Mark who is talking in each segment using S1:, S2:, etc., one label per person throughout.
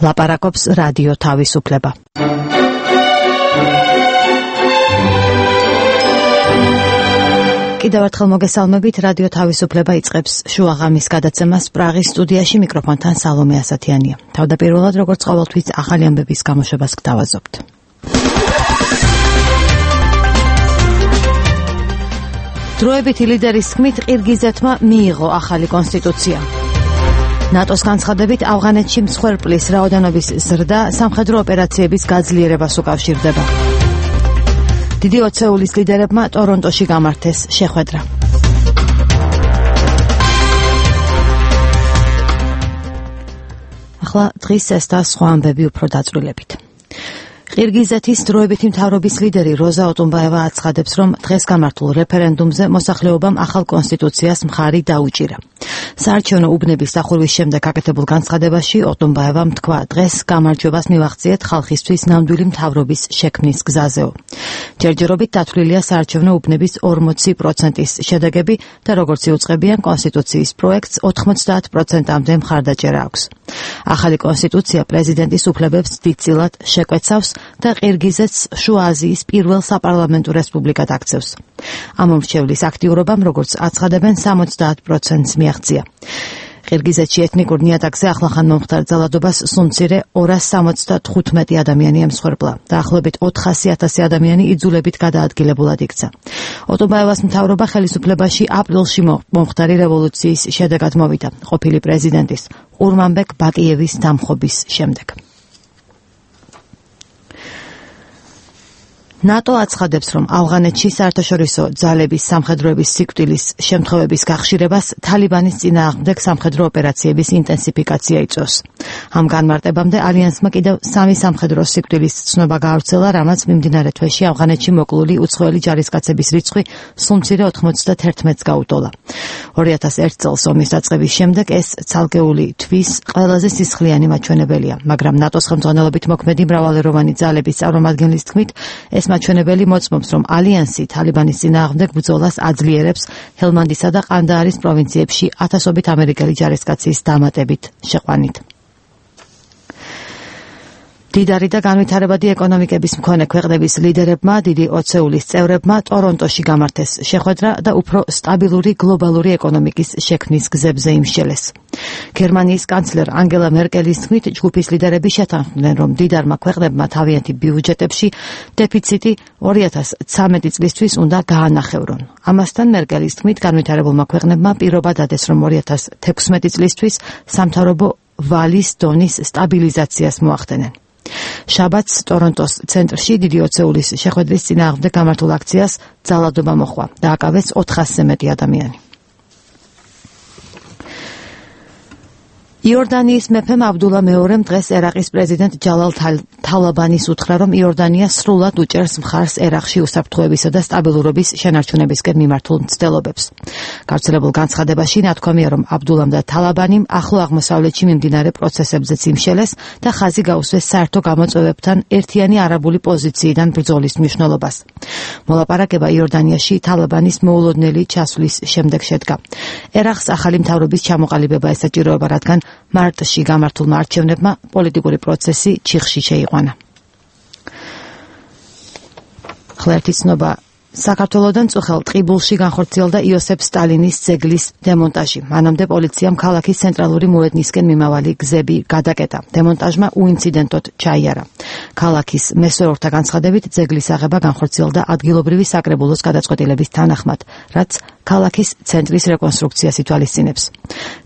S1: ლაპარაკობს რადიო თავისუფლება. კიდევ ერთხელ მოგესალმებით, რადიო თავისუფლება იწყებს შუაღამის გადაცემას პრაღის სტუდიაში, მიკროფონთან სალომე ასათიანია. თავდაპირველად, როგორც ყოველთვის, ახალი ამბების გამოშვებას გთავაზობთ. დროებითი ლიდერის თქმით, ყირგიზეთმა მიიღო ახალი კონსტიტუცია. ნატოს განცხადებით, ავღანეთში მსხვერპლის რაოდენობის ზრდა სამხედრო ოპერაციების გაძლიერებას უკავშირდება. დიდი ოცეულის ლიდერებმა ტორონტოში გამართეს შეხვედრა. ახლა დღის ეს და სხვა ამბები უფრო დაწვრილებით. ყირგიზეთის დროებითი მთავრობის ლიდერი როზა ოტუნბაევა აცხადებს, რომ დღეს გამართულ რეფერენდუმზე მოსახლეობამ ახალ კონსტიტუციას მხარი დაუჭირა. საარჩევნო უბნების დახურვის შემდეგ გაკეთებულ განცხადებაში ოტუნბაევამ თქვა, დღეს გამარჯვებას მივახციეთ ხალხისთვის ნამდვილი მთავრობის შექმნის გზაზეო. ჯერჯერობით დათვლილია საარჩევნო უბნების 40%-ის შედეგები და როგორც იუწყებიან, კონსტიტუციის პროექტს 90%-მდე მხარდაჭერა აქვს. ახალი კონსტიტუცია პრეზიდენტის უფლებებს დიდწილად შეკვეცავს და ყირგიზეთს შუა აზიის პირველ საპარლამენტო რესპუბლიკად აქცევს. ამ მომრჩევლის აქტიურობამ, როგორც აცხადებენ, 70%-ს მიაღწია. ყირგიზეთში ეთნიკურ ნიადაგზე ახლახან მომხდარ ძალადობას სულ მცირე 275 ადამიანი ემსხვერპლა. დაახლოებით 400,000 ადამიანი იძულებით გადაადგილებულად იქცა. ოტუნბაევას მთავრობა ხელისუფლებაში აპრილში მომხდარი რევოლუციის შედეგად მოვიდა, ყოფილი პრეზიდენტის ყურმანბეკ ბაკიევის დამხობის შემდეგ. ნატო აცხადებს, რომ ავღანეთში საერთაშორისო ძალების სამხედროების სიკვდილის შემთხვევების გახშირებას თალიბანის წინააღმდეგ სამხედრო ოპერაციების ინტენსიფიკაცია იწვევს. ამ განმარტებამდე ალიანსმა კიდევ 3 სამხედრო სიკვდილის ცნობა გაავრცელა, რამაც მიმდინარე თვეში ავღანეთში მოკლული უცხოელი ჯარისკაცების რიცხვი სულ მცირე 91-ს გაუტოლა. 2001 წელს ომის დაწყების შემდეგ ეს ცალკეული თვის ყველაზე სისხლიანი მაჩვენებელია, მაგრამ ნატოს ხელმძღვანელობით მოქმედი მრავალეროვანი ძალების წარმომადგენლის თქმით, ეს მაჩვენებელი მოწმობს, რომ ალიანსი თალიბანის წინააღმდეგ ბრძოლას აძლიერებს ჰელმანდისა და ყანდაარის პროვინციებში ათასობით ამერიკელი ჯარისკაცის დამატებით შეყვანით. დიდარი და განვითარებადი ეკონომიკების მქონე ქვეყნების ლიდერებმა, დიდი ოცეულის წევრებმა ტორონტოში გამართეს შეხვედრა და უფრო სტაბილური გლობალური ეკონომიკის შექმნის გზებზე იმსჯელეს. გერმანიის კანცლერ ანგელა მერკელის თქმით, ჯგუფის ლიდერები შეთანხმდნენ, რომ დიდარმა ქვეყნებმა თავიანთი ბიუჯეტებში დეფიციტი 2013 წლისთვის უნდა გაანახევრონ. ამასთან მერკელის თქმით, განვითარებულმა ქვეყნებმა პირობა დადეს, რომ 2016 წლისთვის სამთავრობო ვალის დონის სტაბილიზაციას მოახდენენ. შაბათს ტორონტოს ცენტრში დიდი ოცეულის შეხვედრის წინააღმდეგ გამართულ აქციას ძალადობა მოჰყვა. დააკავეს 400-ზე მეტი ადამიანი. იორდანიის მეფემ აბდულა მეორემ დღეს ერაყის პრეზიდენტ ჯალალ თალაბანის უთხრა, რომ იორდანია სრულად უჭერს მხარს ერაყში უსაფრთხოებისა და სტაბილურობის შენარჩუნებისკენ მიმართულ მცდელობებს. გავრცელებულ განცხადებაში ნათქვამია, რომ აბდულამ და თალაბანიმ ახლო აღმოსავლეთში მიმდინარე პროცესებზეც იმშელეს და ხაზი გაუსვეს საერთო გამოწვევებთან ერთიანი არაბული პოზიციიდან ბრძოლის მნიშვნელობას. მოლაპარაკება იორდანიაში თალაბანის მოულოდნელი ჩასვლის შემდეგ შედგა. ერაყს ახალი მთავრობის ჩამოყალიბება ესაჭიროება, რადგან მარტში გამართულმა არჩევნებმა პოლიტიკური პროცესი ჩიხში შეიყვანა. ხლერთი ცნობა საქართველოდან წუხელ ტყიბულში განხორციელდა იოსებ სტალინის ძეგლის დემონტაჟი. მანამდე პოლიციამ ქალაქის ცენტრალური მოედნისკენ მიმავალი გზები გადაკეტა. დემონტაჟმა უინციდენტოდ ჩაიარა. ქალაქის მესვეორთა განცხადებით, ძეგლის აღება განხორციელდა ადგილობრივი საკრებულოს გადაწყვეტილების თანახმად, რაც ქალაქის ცენტრის რეკონსტრუქციას ითვალისწინებს.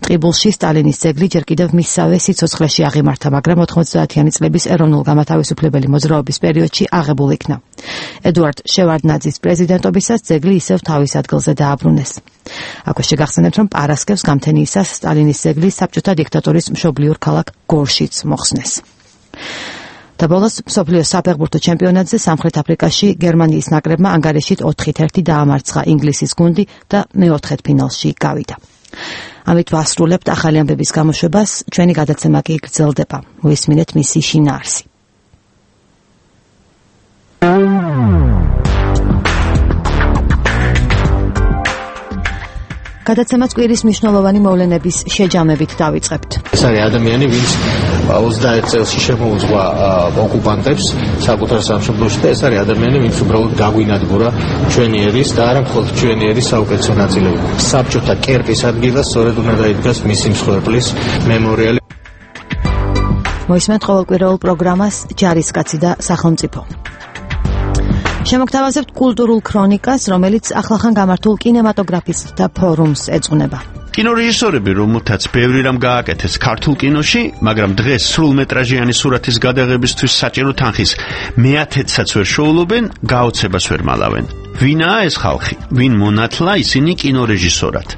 S1: ტყიბულში სტალინის ძეგლი ჯერ კიდევ მისსავე სიცოცხლეში აღიმართა, მაგრამ 90-იანი წლების ეროვნულ-გამათავისუფლებელი მოძრაობის პერიოდში აღებულ იქნა. ედუარდ შევარდნაძის პრეზიდენტობისას ძეგლი ისევ თავის ადგილზე დააბრუნეს. აქვე შეგახსენებთ, რომ პარასკევს გამთენიისას სტალინის ძეგლი საბჭოთა დიქტატორის მშობლიურ ქალაქ გორშიც მოხსნეს. და ბოლოს მსოფლიოს საფეხბურთო ჩემპიონატზე სამხრეთ აფრიკაში გერმანიის ნაკრებმა ანგარიშით 4-1 დაამარცხა ინგლისის გუნდი და მეოთხედფინალში გავიდა. ამით ვასრულებთ ახალი ამბების გამოშვებას, ჩვენი გადაცემა კი გრძელდება. მოისმინეთ მისი შინაარსი. გადაცემას კვირის მნიშვნელოვანი მოვლენების შეჯამებით დავიწყებთ.
S2: ეს არის ადამიანი, ვინც 21 წელში შემოუძღვა ოკუპანტებს საკუთარ სამშობლოში და ეს არის ადამიანები, ვინც უბრალოდ გაგვინადგურა ჩვენი ერის და არა მხოლოდ ჩვენი ერის საუკეთესო ნაწილები. საბჭოთა კერპის ადგილას სწორედ უნდა დაიდგას მისი მსხვერპლის მემორიალი.
S1: მოისმენთ ყოველკვირეულ პროგრამას ჯარისკაცი და სახელმწიფო. შემოგთავაზებთ კულტურულ ქრონიკას, რომელიც ახლახან გამართულ კინემატოგრაფისტთა ფორუმს ეძღვნება.
S3: კინორეჟისორები, რომელთაც ბევრი რამ გააკეთეს ქართულ კინოში, მაგრამ დღეს სრულმეტრაჟიანი სურათის გადაღებისთვის საჭირო თანხის მეათედსაც ვერ შოულობენ, გაოცებას ვერ მალავენ. ვინაა ეს ხალხი? ვინ მონათლა ისინი კინორეჟისორად?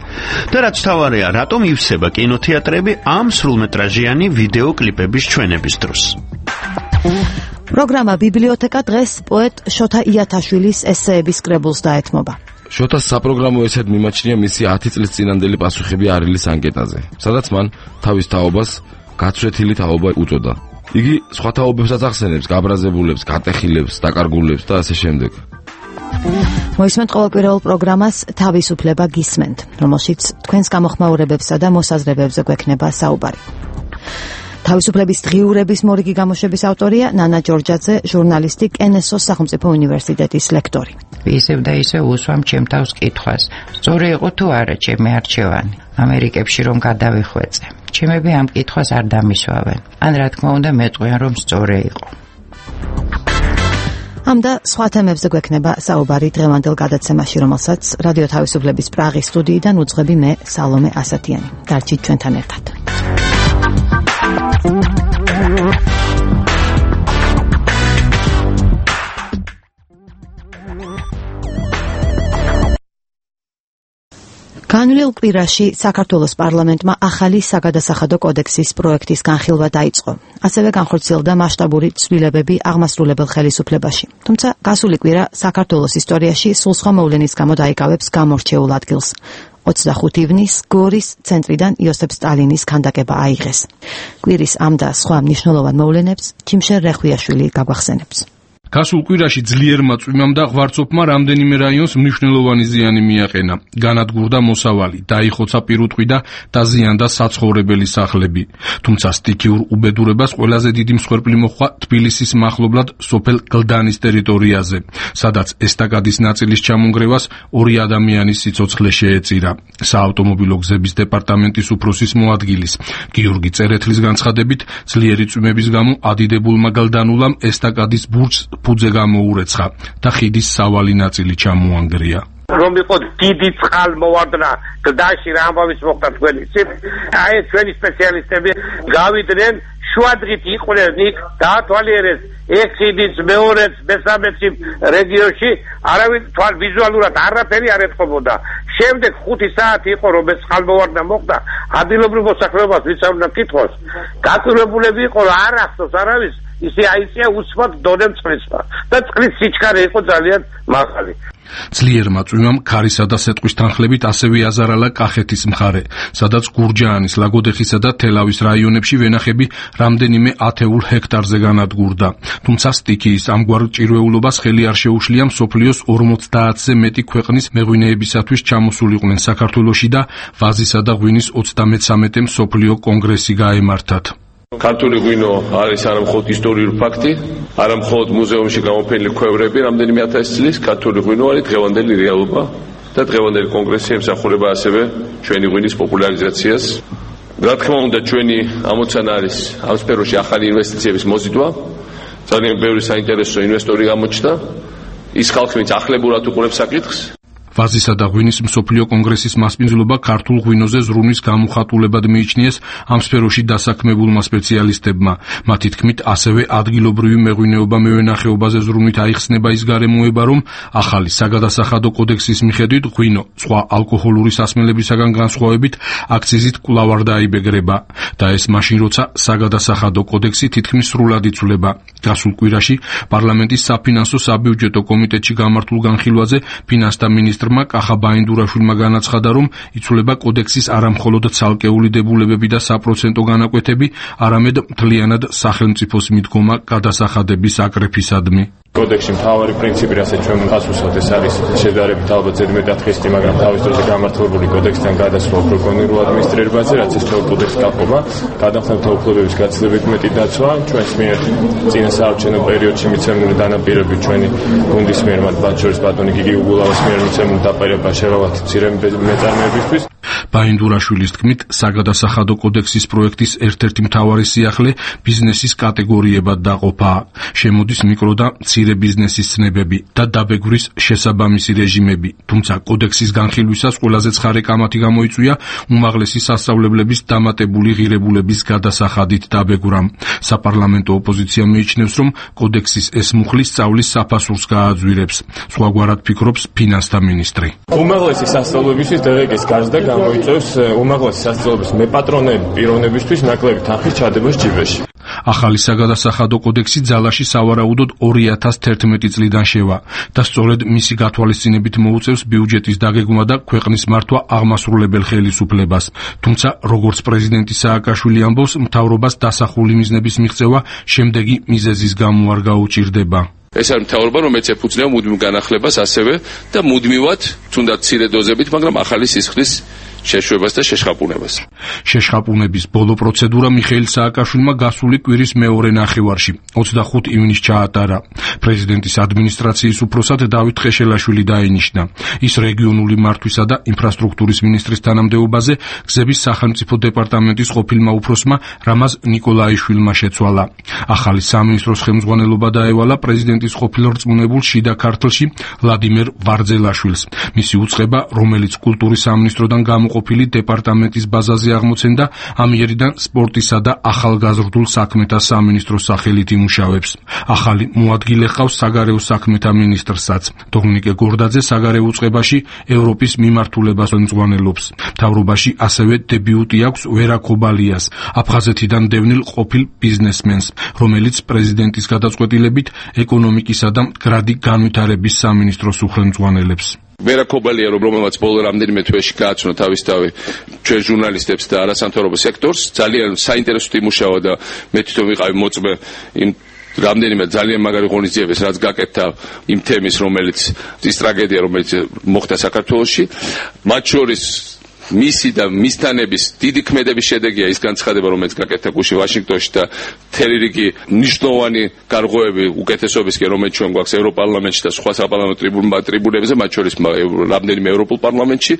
S3: და რაც თავარია, რატომ ივსება კინოთეატრები ამ სრულმეტრაჟიანი ვიდეოკლიპების ჩვენების დროს?
S1: პროგრამა ბიბლიოთეკა დღეს პოეტ შოთა იათაშვილის ესეების კრებულს დაეთმობა.
S4: შოთას საპროგრამო ესედ მიმაჩნია მისი 10 წლის წინანდელი პასუხები არილის ანკეტაზე, სადაც მან თავის თაობას გაცვეთილი თაობა უწოდა. იგი სხვა თაობებსაც ახსენებს, გაბრაზებულებს, გატეხილებს, დაკარგულებს და ასე შემდეგ.
S1: მოისმენთ ყოველკვირეულ პროგრამას თავისუფლება გისმენთ, რომელშიც თქვენს გამოხმაურებებსა და მოსაზრებებზე გვექნება საუბარი. თავისუფლების დღიურების მორიგი გამოშვების ავტორია ნანა ჯორჯაძე, ჟურნალისტი, კენესოს სახელმწიფო უნივერსიტეტის ლექტორი.
S5: ისევ და ისევ უსვამ ჩემ თავს კითხვას. სწორი იყო თუ არა ჩემი არჩევანი? ამერიკებში რომ გადავიხვეწე. ჩემები ამ კითხვას არ დამისვავენ. ან რა თქმა უნდა მეტყვიან რომ სწორი იყო.
S1: ამ და სხვა თემებზე გვექნება საუბარი დღევანდელ გადაცემაში, რომელსაც რადიო თავისუფლების პრაღის სტუდიიდან უძღვები მე, სალომე ასათიანი. დარჩით ჩვენთან ერთად. განვლილ კვირაში საქართველოს პარლამენტმა ახალი საგადასახადო კოდექსის პროექტის განხილვა დაიწყო. ასევე განხორციელდა მასშტაბური ცვლილებები აღმასრულებელ ხელისუფლებაში. თუმცა გასული კვირა საქართველოს ისტორიაში სულ სხვა მოვლენის გამო დაიკავებს გამორჩეულ ადგილს. 25 ივნის გორის ცენტრიდან იოსებ სტალინის ქანდაკება აიღეს. კვირის ამ და სხვა მნიშვნელოვან მოვლენებს ჩიმშერ რეხვიაშვილი გაგვახსენებს.
S6: გასულ კვირაში ძლიერმა წვიმამ და ღვარცოფმა რამდენიმე რაიონს მნიშვნელოვანი ზიანი მიაყენა. განადგურდა მოსავალი, დაიხოცა პირუტყვი და დაზიანდა საცხოვრებელი სახლები. თუმცა სტიქიურ უბედურებას ყველაზე დიდი მსხვერპლი მოჰყვა თბილისის მახლობლად სოფელ გლდანის ტერიტორიაზე, სადაც ესტაკადის ნაწილის ჩამონგრევას 2 ადამიანის სიცოცხლე შეეწირა. საავტომობილო გზების დეპარტამენტის უფროსის მოადგილის გიორგი წერეთლის განცხადებით, ძლიერი წვიმების გამო ადიდებულმა გლდანულამ ესტაკადის ბურჯს ფუძე გამოურეცხა და ხიდის სავალი ნაწილი ჩამოანგრია.
S7: რომ იყო დიდი წყალმოვარდნა გლდანში რა ამბავის მოხდა თქვენ იცით? აი ჩვენი სპეციალისტები გავიდნენ შუადღით იყვნენ იქ დაათვალიერეს ეს ხიდის მეორეც მესამეცი რეგიონში არავინ თვალ ვიზუალურად არაფერი არ ეთყობოდა. შემდეგ 5 საათი იყო რომ ეს წყალმოვარდნა მოხდა ადგილობრივ მოსახლეობას ვიცავდა კითხოს. გაკურებულები იყო რომ არ ახსოვს არავის ისე აიწია უსმოთ დონემ წყლისმა და წყლის სიჩქარე იყო ძალიან მაღალი.
S6: ძლიერმა წვიმამ ქარისა და სეტყვის თანხლებით ასევე აზარალა კახეთის მხარე, სადაც გურჯაანის, ლაგოდეხისა და თელავის რაიონებში ვენახები რამდენიმე ათეულ ჰექტარზე განადგურდა. თუმცა სტიქიის ამგვარ ჭირვეულობას ხელი არ შეუშლია მსოფლიოს 50-ზე მეტი ქვეყნის მეღვინეებისათვის ჩამოსულიყვნენ საქართველოში და ვაზისა და ღვინის 33-ე მსოფლიო კონგრესი გაემართათ.
S8: ქართული ღვინო არის არამხოლოდ ისტორიული ფაქტი, არამხოლოდ მუზეუმში გამოფენილი ქვევრები რამდენიმე 1000 წლის, ქართული ღვინო არის დღევანდელი რეალობა და დღევანდელი კონგრესი ემსახურება ასევე ჩვენი ღვინის პოპულარიზაციას. რა თქმა უნდა, ჩვენი ამოცანა არის ამ სფეროში ახალი ინვესტიციების მოზიდვა. ძალიან ბევრი საინტერესო ინვესტორი გამოჩნდა. ის ხალხი, ვინც ახლებურად უყურებს საკითხს.
S6: ვაზისა და ღვინის მსოფლიო კონგრესის მასპინძლობა ქართულ ღვინოზე ზრუნვის გამოხატულებად მიიჩნიეს ამ სფეროში დასაქმებულმა სპეციალისტებმა. მათი თქმით, ასევე ადგილობრივი მეღვინეობა მევენახეობაზე ზრუნვით აიხსნება ის გარემოება, რომ ახალი საგადასახადო კოდექსის მიხედვით ღვინო სხვა ალკოჰოლური სასმელებისაგან განსხვავებით აქციზით კვლავ არ დაიბეგრება და ეს მაშინ, როცა საგადასახადო კოდექსი თითქმის სრულად იცვლება. გასულ კვირაში პარლამენტის საფინანსო საბიუჯეტო კომიტეტში გამართულ განხილვაზე ფინანსთა მინისტრმა კახა ბაინდურაშვილმა განაცხადა, რომ იცვლება კოდექსის არამხოლოდ ცალკეული დებულებები და საპროცენტო განაკვეთები, არამედ მთლიანად სახელმწიფოს მიდგომა გადასახადების აკრეფისადმი.
S9: კოდექსში მთავარი პრინციპი, რასაც ჩვენ ვახსოვთ, ეს არის შედარებით ალბათ ზედმეტად ხისტი, მაგრამ თავის დროზე გამართლებული კოდექსთან გადასვლა პროკურორულ ადმინისტრირებაზე, რაც ეს კოდექსი გაყოფა, გადამხნევთა უფლებების გაცილებით მეტი დაცვა, ჩვენს მიერ წინა საარჩევნო პერიოდში მიცემული დანაპირები ჩვენი გუნდის მიერ, მათ შორის ბატონი გიგი უგულავის მიერ მიცემული დაპირება შერავათ მცირე მეწარმეებისთვის.
S6: ბაინდურაშვილის თქმით, საგადასახადო კოდექსის პროექტის ერთ-ერთი მთავარი სიახლე ბიზნესის კატეგორიებად დაყოფა. შემოდის მიკრო და მცირე ბიზნესის ცნებები და დაბეგვრის შესაბამისი რეჟიმები. თუმცა კოდექსის განხილვისას ყველაზე ცხარე კამათი გამოიწვია უმაღლესი სასწავლებლების დამატებული ღირებულების გადასახადით დაბეგვრამ. საპარლამენტო ოპოზიცია მიიჩნევს, რომ კოდექსის ეს მუხლი სწავლის საფასურს გააძვირებს. სხვაგვარად ფიქრობს ფინანსთა მინისტრი.
S9: უმაღლესი სასწავლებლებისთვის დღეგ-ის გარდა გამოიწვევს უმაღლესი სასწავლებლების მეპატრონეები პიროვნებისთვის ნაკლები თანხის ჩადებას ჯიბეში.
S6: ახალი საგადასახადო კოდექსი ძალაში სავარაუდოდ 2011 წლიდან შევა და სწორედ მისი გათვალისწინებით მოუწევს ბიუჯეტის დაგეგმვა და ქვეყნის მართვა აღმასრულებელ ხელისუფლებას. თუმცა, როგორც პრეზიდენტი სააკაშვილი ამბობს, მთავრობას დასახული მიზნების მიღწევა შემდეგი მიზეზის გამო არ გაუჭირდება.
S8: ეს არის მთავრობა, რომელიც ეფუძნება მუდმივ განახლებას ასევე და მუდმივად, თუნდაც მცირე დოზებით, მაგრამ ახალი სისხლის შეშვებას და შეშხაპუნებას.
S6: შეშხაპუნების ბოლო პროცედურა მიხეილ სააკაშვილმა გასული კვირის მეორე ნახევარში 25 ივნისს ჩაატარა. პრეზიდენტის ადმინისტრაციის უფროსად დავით ხეშელაშვილი დაინიშნა. ის რეგიონული მართვისა და ინფრასტრუქტურის მინისტრის თანამდებობაზე გზების სახელმწიფო დეპარტამენტის ყოფილმა უფროსმა რამაზ ნიკოლაიშვილმა შეცვალა. ახალი სამინისტროს ხელმძღვანელობა დაევალა პრეზიდენტის ყოფილ რწმუნებულ შიდა ქართლში ვლადიმერ ვარძელაშვილს. მისი უწყება, რომელიც კულტურის სამინისტროდან ყოფილი დეპარტამენტის ბაზაზე აღმოცენდა, ამიერიდან სპორტისა და ახალგაზრდულ საქმეთა სამინისტროს სახელით იმუშავებს. ახალი მოადგილე ჰყავს საგარეო საქმეთა მინისტრსაც. დომინიკე გორდაძე საგარეო უწყებაში ევროპის მიმართულებას ხელმძღვანელობს. მთავრობაში ასევე დებიუტი აქვს ვერა ქობალიას, აფხაზეთიდან დევნილ ყოფილ ბიზნესმენს, რომელიც პრეზიდენტის გადაწყვეტილებით ეკონომიკისა და მდგრადი განვითარების სამინისტროს უხელმძღვანელებს.
S8: ვერა ქობალია, რომელმაც ბოლო რამდენიმე თვეში გააცნო თავისთავი ჩვენ ჟურნალისტებს და არასამთავრობო სექტორს, ძალიან საინტერესოდ იმუშავა და მე თვითონ ვიყავი მოწმე იმ რამდენიმე ძალიან მაგარი ღონისძიებას, რაც გაკეთდა იმ თემის, რომელიც ის ტრაგედია, რომელიც მოხდა საქართველოში, მათ შორის მისი და მისთანების დიდი ქმედების შედეგია ის განცხადება, რომელიც გაკეთდა გუშინ ვაშინგტონში და მთელი რიგი მნიშვნელოვანი გარღვევები უკეთესობისკენ, რომელიც ჩვენ გვაქვს ევროპარლამენტში და სხვა საპარლამენტო ტრიბუნებზე, მათ შორის რამდენიმე ევროპულ პარლამენტში.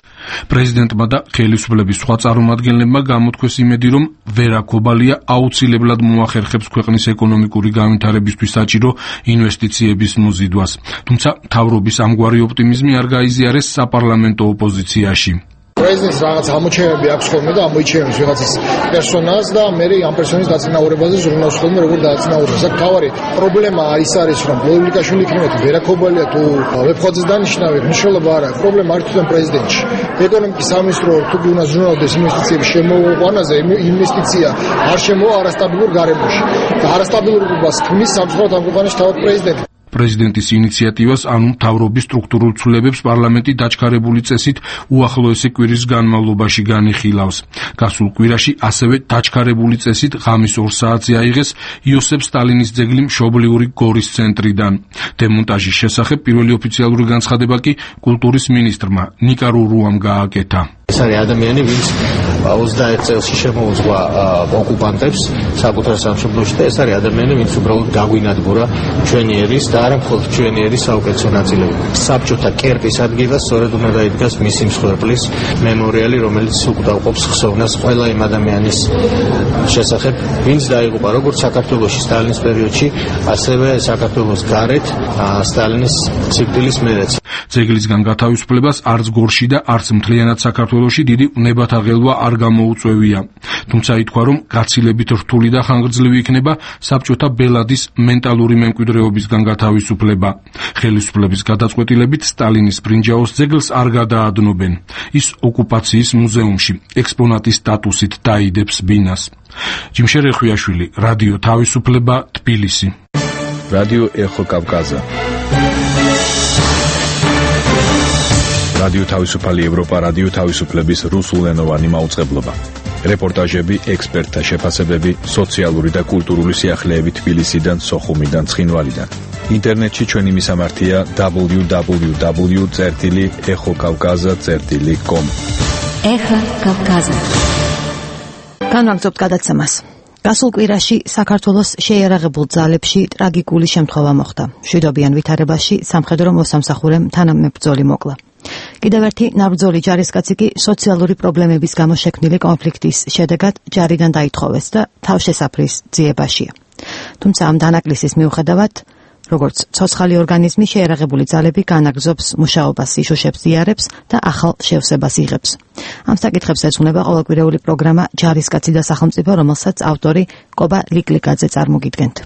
S6: პრეზიდენტმა და ხელისუფლების სხვა წარმომადგენლებმა გამოთქვეს იმედი, რომ ვერა ქობალია აუცილებლად მოახერხებს ქვეყნის ეკონომიკური განვითარებისთვის საჭირო ინვესტიციების მოზიდვას. თუმცა მთავრობის ამგვარი ოპტიმიზმი არ გაიზიარეს საპარლამენტო ოპოზიციაში.
S10: პრეზიდენტს რაღაც ამოჩენები აქვს ხოლმე და ამოიჩენებს ვიღაცის პერსონაჟს და მე ამ პერსონის დაწინაურებაზე ზრუნავს ხოლმე როგორ დააწინაურებს. აქ თავარი პრობლემა ის არის, რომ ბოლიკაშვილი იქნება ვერა ქობალია თუ ვებხოძეს დანიშნავი, მნიშვნელობა არ აქვს. პრობლემა არის თვითონ პრეზიდენტში. ეკონომიკის სამინისტრო თუ უნდა ზრუნავდეს ინვესტიციების შემოყვანაზე, ინვესტიცია არ შემოვა არასტაბილურ გარემოში. და არასტაბილურობას ქმნის სამწუხაროდ ამ ქვეყანაში თავად პრეზიდენტი.
S6: პრეზიდენტის ინიციატივას, ანუ მთავრობის სტრუქტურულ ცვლილებებს პარლამენტი დაჩქარებული წესით უახლოესი კვირის განმავლობაში განიხილავს. გასულ კვირაში ასევე დაჩქარებული წესით ღამის 2 საათზე აიღეს იოსებ სტალინის ძეგლი მშობლიური გორის ცენტრიდან. დემონტაჟის შესახებ პირველი ოფიციალური განცხადება კი კულტურის მინისტრმა ნიკა რურუამ გააკეთა.
S2: ეს არის ადამიანი, ვინც 21 წელში შემოუძღვა ოკუპანტებს საკუთარ სამშობლოში და ეს არის ადამიანი, ვინც უბრალოდ გაგვინადგურა ჩვენი ერის და არა მხოლოდ ჩვენი ერის საუკეთესო ნაწილები. საბჭოთა კერპის ადგილას სწორედ უნდა დაიდგას მისი მსხვერპლის მემორიალი, რომელიც უკდავყოფს ხსოვნას ყველა იმ ადამიანის შესახებ, ვინც დაიღუპა როგორც საქართველოში სტალინის პერიოდში, ასევე საქართველოს გარეთ სტალინის სიკვდილის მერეც.
S6: ძეგლისგან გათავისუფლებას არც გორში და არც მთლიანად საქართველოში დიდი უნებათაღელვა არ გამოუწვევია. თუმცა ითქვა, რომ გაცილებით რთული და ხანგრძლივი იქნება საბჭოთა ბელადის მენტალური მემკვიდრეობისგან გათავისუფლება. ხელისუფლების გადაწყვეტილებით სტალინის ბრინჯაოს ძეგლს არ გადაადნობენ. ის ოკუპაციის მუზეუმში ექსპონატის სტატუსით დაიდებს ბინას. ჯიმშერ ეხვიაშვილი, რადიო თავისუფლება, თბილისი.
S11: რადიო ეხო კავკაზა. რადიო თავისუფალი ევროპა, რადიო თავისუფლების რუსულენოვანი მაუწყებლობა. რეპორტაჟები, ექსპერტთა შეფასებები, სოციალური და კულტურული სიახლეები თბილისიდან, სოხუმიდან, ცხინვალიდან. ინტერნეტში ჩვენი მისამართია www.ekhokavkaza.com.
S1: Ეხა კავკაზა. განვაგრძობთ გადაცემას. გასულ კვირაში საქართველოს შეიარაღებულ ძალებში ტრაგიკული შემთხვევა მოხდა. მშვიდობიან ვითარებაში სამხედრო მოსამსახურემ თანამებრძოლი მოკლა. კიდევ ერთი ნაბრძოლი ჯარისკაცი კი სოციალური პრობლემების გამო შექმნილი კონფლიქტის შედეგად ჯარიდან დაითხოვეს და თავშესაფრის ძიებაშია. თუმცა ამ დანაკლისის მიუხედავად, როგორც ცოცხალი ორგანიზმი შეიარაღებული ძალები განაგრძობს მუშაობას, იშუშებს ზიარებს და ახალ შევსებას იღებს. ამ საკითხებს ეძღვნება ყოველკვირეული პროგრამა ჯარისკაცი და სახელმწიფო, რომელსაც ავტორი კობა ლიკლიკაძე წარმოგიდგენთ.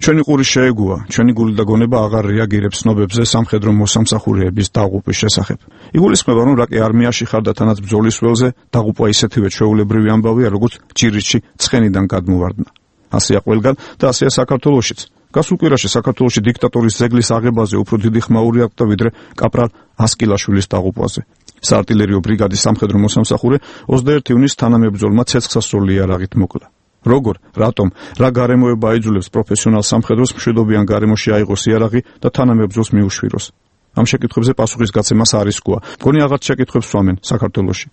S12: ჩვენი ყური შეეგუა, ჩვენი გული და გონება აღარ რეაგირებს ცნობებზე სამხედრო მოსამსახურეების დაღუპვის შესახებ. იგულისხმება, რომ რაკი არმიაში ხარ და თანაც ბრძოლის ველზე დაღუპვა ისეთივე ჩვეულებრივი ამბავია, როგორც ჯირითში ცხენიდან გადმოვარდნა. ასეა ყველგან და ასეა საქართველოშიც. გასულ კვირაში საქართველოში დიქტატორის ზეგლის აღებაზე უფრო დიდი ხმაური აკდა ვიდრე კაპრალ ასკილაშვილის დაღუპვაზე. საარტილერიო ბრიგადის სამხედრო მოსამსახურე 21 ივნისს თანამებრძოლმა ცეცხლსასროლი იარაღით მოკლა. როგორ, რატომ, რა გარემოება აიძულებს პროფესიონალ სამხედროს მშვიდობიან გარემოში აიღოს იარაღი და თანამებრძოლს მიუშვიროს? ამ შეკითხვებზე პასუხის გაცემას არ რისკოა. მგონი აღარ შეკითხვებს სვამენ საქართველოში.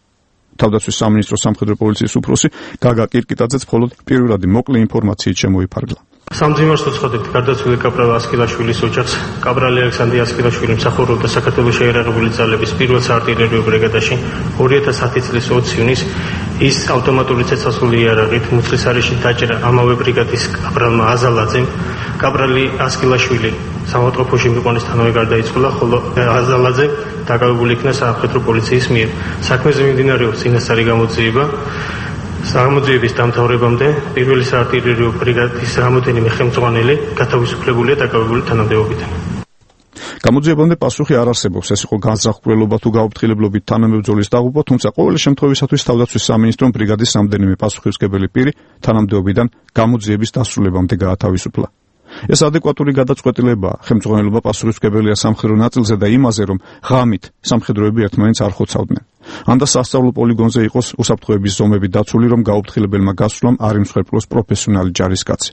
S12: თავდაცვის სამინისტროს სამხედრო პოლიციის უფროსი გაგა კირკიტაძეც მხოლოდ პირველადი მოკლე ინფორმაციით შემოიფარგლა.
S13: სამძიმარს უცხოდებთ გარდაცვლილი კაპრალ ასკილაშვილის ოჯახს. კაპრალი ალექსანდრე ასკილაშვილი მსახურობდა საქართველოს შეიარაღებული ძალების პირველ საარტილერიო ბრიგადაში 2010 წლის 20 ივნისს. ის ავტომატური ცეცხლსასროლი იარაღით მუცლისარეში დაჭრა ამავე ბრიგადის კაპრალმა აზალაძემ. კაპრალი ასკილაშვილი სამავტყოფოში მიყვანისთანავე გარდაიცვალა, ხოლო აზალაძე დაკავებული იქნა სამხედრო პოლიციის მიერ. საქმეზე მიმდინარეობს წინასწარი გამოძიება. გამოძიების დამთავრებამდე პირველი საარტილერიო ბრიგადის რამოდენიმე ხელმძღვანელი გათავისუფლებულია დაკავებული თანამდებობიდან.
S12: გამოძიებამდე პასუხი არ არსებობს, ეს იყო განზრახულობა თუ გაუფრთხილებლობით თანამებრძოლის დაღუპვა, თუმცა ყოველი შემთხვევისათვის თავდაცვის სამინისტრომ ბრიგადის რამდენიმე პასუხისმგებელი პირი თანამდებობიდან გამოძიების დასრულებამდე გაათავისუფლა. ეს ადეკვატური გადაწყვეტილებაა. ხელმძღვანელობა პასუხისმგებელია სამხედრო ნაწილზე და იმაზე, რომ ღამით სამხედროები ერთმანეთს არ ხოცავდნენ. ან და სასწავლო პოლიგონზე იყოს უსაფრთხოების ზომები დაცული, რომ გაუფრთხილებელმა გასვლამ არ იმსხვერპლოს პროფესიონალი ჯარისკაცი.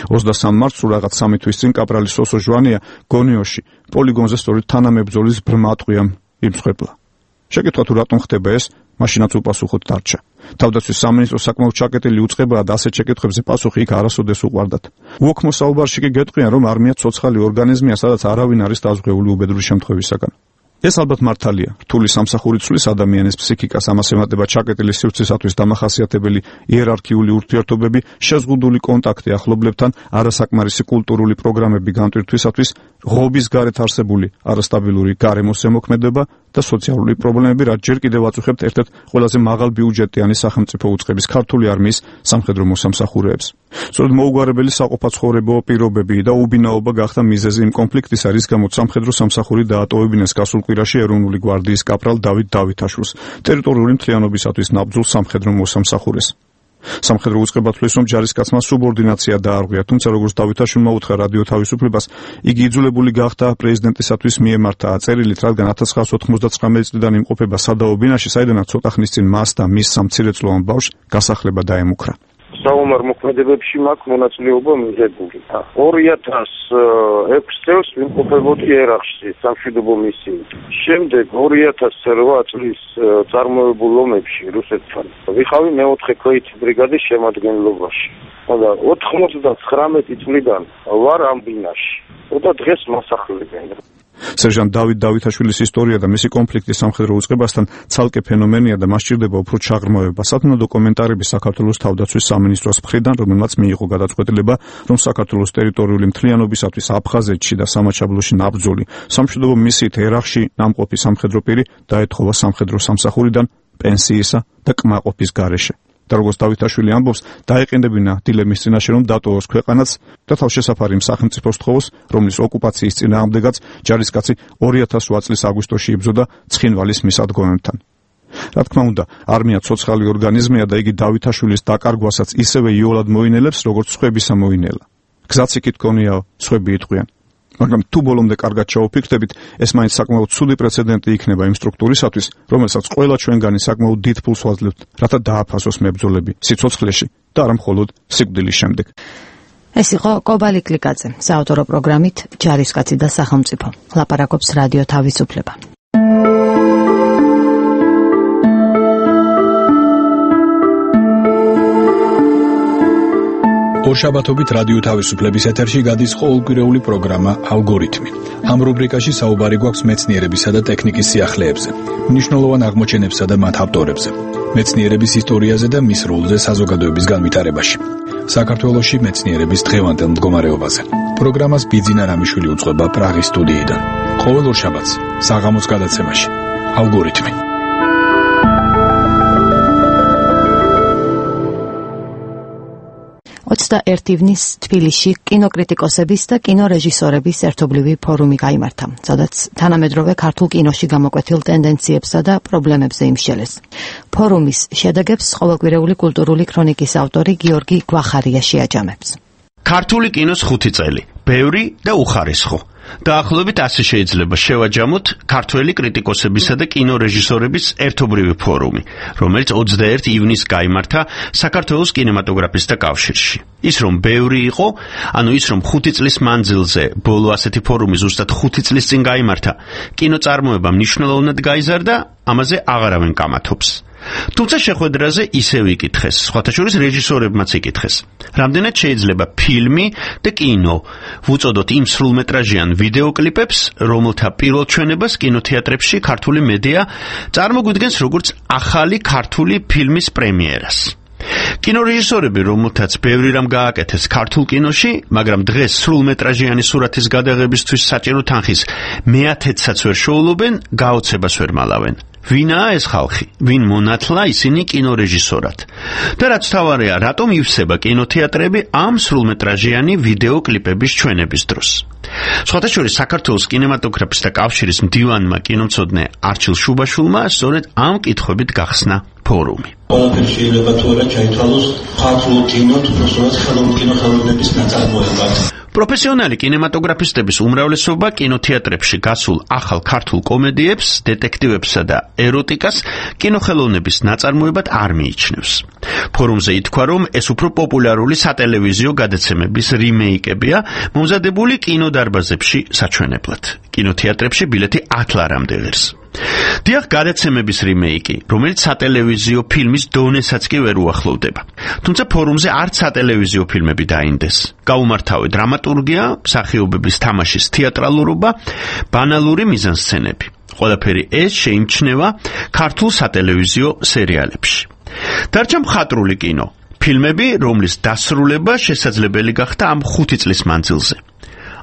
S12: 23 მარტს რაღაც 3 თვის წინ კაპრალი სოსო ჟვანია გონიოში პოლიგონზე სწორედ თანამებრძოლის ბრმა ტყვიამ იმსხვერპლა. შეკითხვა თუ რატომ ხდება ეს, მაშინაც უპასუხოდ დარჩა. თავდაცვის სამინისტრო საკმაოდ ჩაკეტილი უწყებაა და ასეთ შეკითხვებზე პასუხი იქ არასოდეს უყვარდათ. უოქმო საუბარში კი გეტყვიან, რომ არმია ცოცხალი ორგანიზმია, სადაც არავინ არის დაზღვეული უბედური შემთხვევისაგან. ეს ალბათ მართალია. რთული სამსახური ცვლის ადამიანის ფსიქიკას, ამას ემატება ჩაკეტილი სივრცისათვის დამახასიათებელი იერარქიული ურთიერთობები, შეზღუდული კონტაქტი ახლობლებთან, არასაკმარისი კულტურული პროგრამები განტვირთვისათვის, ღობის გარეთ არსებული არასტაბილური გარემოს ზემოქმედება და სოციალური პრობლემები, რაც ჯერ კიდევ აწუხებთ ერთ-ერთ ყველაზე მაღალ ბიუჯეტიანი სახელმწიფო უწყების ქართული არმიის სამხედრო მოსამსახურეებს. სწორედ მოუგვარებელი საყოფაცხოვრებო პირობები და უბინაობა გახდა მიზეზი იმ კონფლიქტისა, რის გამოც სამხედრო სამსახური დაატოვებინეს გასულ კვირაში ეროვნული გვარდიის კაპრალ დავით დავითაშვილს, ტერიტორიული მთლიანობისათვის ნაბრძოლ სამხედრო მოსამსახურეს. სამხედრო უწყება თვლის, რომ ჯარისკაცმა სუბორდინაცია დაარღვია, თუმცა როგორც დავითაშვილმა უთხრა რადიო თავისუფლებას, იგი იძულებული გახდა პრეზიდენტისათვის მიემართა წერილით, რადგან 1999 წლიდან იმყოფება სადაო ბინაში, საიდანაც ცოტა ხნის წინ მას და მის სამცირეწლოვან ბავშვს გასახლება დაემუქრა.
S14: საომარ მოქმედებებში მაქვს მონაწილეობა მიღებული. 2006 წელს ვიმყოფებოდი ერაყში სამშვიდობო მისიით. შემდეგ 2008 წლის წარმოებულ ომებში რუსეთთან ვიხავი მეოთხე ქვეითი ბრიგადის შემადგენლობაში. და 99 წლიდან ვარ ამ ბინაში. და დღეს მასახლებენ.
S12: სერჟანტ დავით დავითაშვილის ისტორია და მისი კონფლიქტი სამხედრო უწყებასთან ცალკე ფენომენია და მას სჭირდება უფრო ჩაღრმავება. სათნო დოკუმენტარები საქართველოს თავდაცვის სამინისტროს მხრიდან, რომელმაც მიიღო გადაწყვეტილება, რომ საქართველოს ტერიტორიული მთლიანობისათვის აფხაზეთში და სამაჩაბლოში ნაბრძოლი სამშვიდობო მისიით ერაყში ნამყოფი სამხედრო პირი დაეთხოვა სამხედრო სამსახურიდან პენსიისა და კმაყოფის გარეშე. და როგორც დავითაშვილი ამბობს, დაეყენებინა დილემის წინაშე, რომ დატოვოს ქვეყანაც და თავშესაფარი იმ სახელმწიფოს თხოვოს, რომლის ოკუპაციის წინააღმდეგაც ჯარისკაცი 2008 წლის აგვისტოში იბრძოდა ცხინვალის მისადგომებთან. რა თქმა უნდა, არმია ცოცხალი ორგანიზმია და იგი დავითაშვილის დაკარგვასაც ისევე იოლად მოინელებს, როგორც სხვებისა მოინელა. გზაც იქით გონიაო, სხვები იტყვიან. მაგრამ თუ ბოლომდე კარგად ჩაუფიქრდებით, ეს მაინც საკმაოდ ცუდი პრეცედენტი იქნება იმ სტრუქტურისათვის, რომელსაც ყველა ჩვენგანი საკმაოდ დიდ ფულს ვაძლევთ, რათა დააფასოს მებრძოლები სიცოცხლეში და არა მხოლოდ სიკვდილის შემდეგ.
S1: ეს იყო კობალი კლიკაძე, საავტორო პროგრამით ჯარისკაცი და სახელმწიფო. ლაპარაკობს რადიო თავისუფლება.
S11: ორშაბათობით რადიო თავისუფლების ეთერში გადის ყოველკვირეული პროგრამა ალგორითმი. ამ რუბრიკაში საუბარი გვაქვს მეცნიერებისა და ტექნიკის სიახლეებზე, მნიშვნელოვან აღმოჩენებსა და მათ ავტორებზე, მეცნიერების ისტორიაზე და მის როლზე საზოგადოების განვითარებაში. საქართველოში მეცნიერების დღევანდელ მდგომარეობაზე. პროგრამას ბიძინა რამიშვილი უძღვება პრაღის სტუდიიდან. ყოველ ორშაბათს საღამოს გადაცემაში ალგორითმი.
S1: ივნისს თბილისში კინოკრიტიკოსების და კინორეჟისორების ერთობლივი ფორუმი გაიმართა, სადაც თანამედროვე ქართულ კინოში გამოკვეთილ ტენდენციებსა და პრობლემებზე იმსჯელეს. ფორუმის შედეგებს ყოველკვირეული კულტურული ქრონიკის ავტორი გიორგი გვახარია შეაჯამებს.
S3: ქართული კინოს 5 წელი, ბევრი და უხარისხო. დაახლოებით ასე შეიძლება შევაჯამოთ ქართველი კრიტიკოსებისა და კინორეჟისორების ერთობლივი ფორუმი, რომელიც 21 ივნისს გაიმართა საქართველოს კინემატოგრაფისტთა კავშირში. ის რომ ბევრი იყო, ანუ ის რომ 5 წლის მანძილზე ბოლო ასეთი ფორუმი ზუსტად 5 წლის წინ გაიმართა, კინოწარმოება მნიშვნელოვნად გაიზარდა, ამაზე აღარავინ კამათობს. თუმცა შეხვედრაზე ისევ იკითხეს, სხვათა შორის რეჟისორებმაც იკითხეს, რამდენად შეიძლება ფილმი და კინო ვუწოდოთ იმ სრულმეტრაჟიან ვიდეოკლიპებს, რომელთა პირველ ჩვენებას კინოთეატრებში ქართული მედია წარმოგვიდგენს როგორც ახალი ქართული ფილმის პრემიერას. კინორეჟისორები, რომელთაც ბევრი რამ გააკეთეს ქართულ კინოში, მაგრამ დღეს სრულმეტრაჟიანი სურათის გადაღებისთვის საჭირო თანხის მე-10-საც ვერ შეულობენ, გაოცებას ვერ მალავენ. ვინაა ეს ხალხი? ვინ მონათლა ისინი კინორეჟისორად? და რაც თავარია, რატომ ივსება კინოთეატრები ამ სრულმეტრაჟიანი ვიდეოკლიპების ჩვენების დროს? სხვათა შორის საქართველოს კინემატოგრაფისტთა კავშირის მდივანმა კინომცოდნე არჩილ შუბაშვილმა სწორედ ამ კითხვებით გახსნა ფორუმი.
S15: ყველაფერი შეიძლება თუ არა ჩაითვალოს ქართულ კინოთ, უბრალოდ ხელოვნების ნაწარმოებად.
S3: პროფესიონალი კინემატოგრაფისტების უმრავლესობა კინოთეატრებში გასულ ახალ ქართულ კომედიებს, დეტექტივებსა და ეროტიკას კინოხელოვნების ნაწარმოებად არ მიიჩნევს. ფორუმზე ითქვა, რომ ეს უფრო პოპულარული სატელევიზიო გადაცემების რიმეიკებია, მომზადებული კინოდარბაზებში საჩვენებლად. კინოთეატრებში ბილეთი 10 ლარამდე ღირს. დიახ, გადაცემების რიმეიკი, რომელიც სატელევიზიო ფილმის დონესაც კი ვერ უახლოვდება. თუმცა ფორუმზე არც სატელევიზიო ფილმები დაინდეს. გაუმართავე დრამატურგია, მსახიობების თამაშის თეატრალურობა, ბანალური მიზანსცენები. ყველაფერი ეს შეიმჩნევა ქართულ სატელევიზიო სერიალებში. დარჩა მხატვრული კინო, ფილმები, რომლის დასრულება შესაძლებელი გახდა ამ 5 წლის მანძილზე.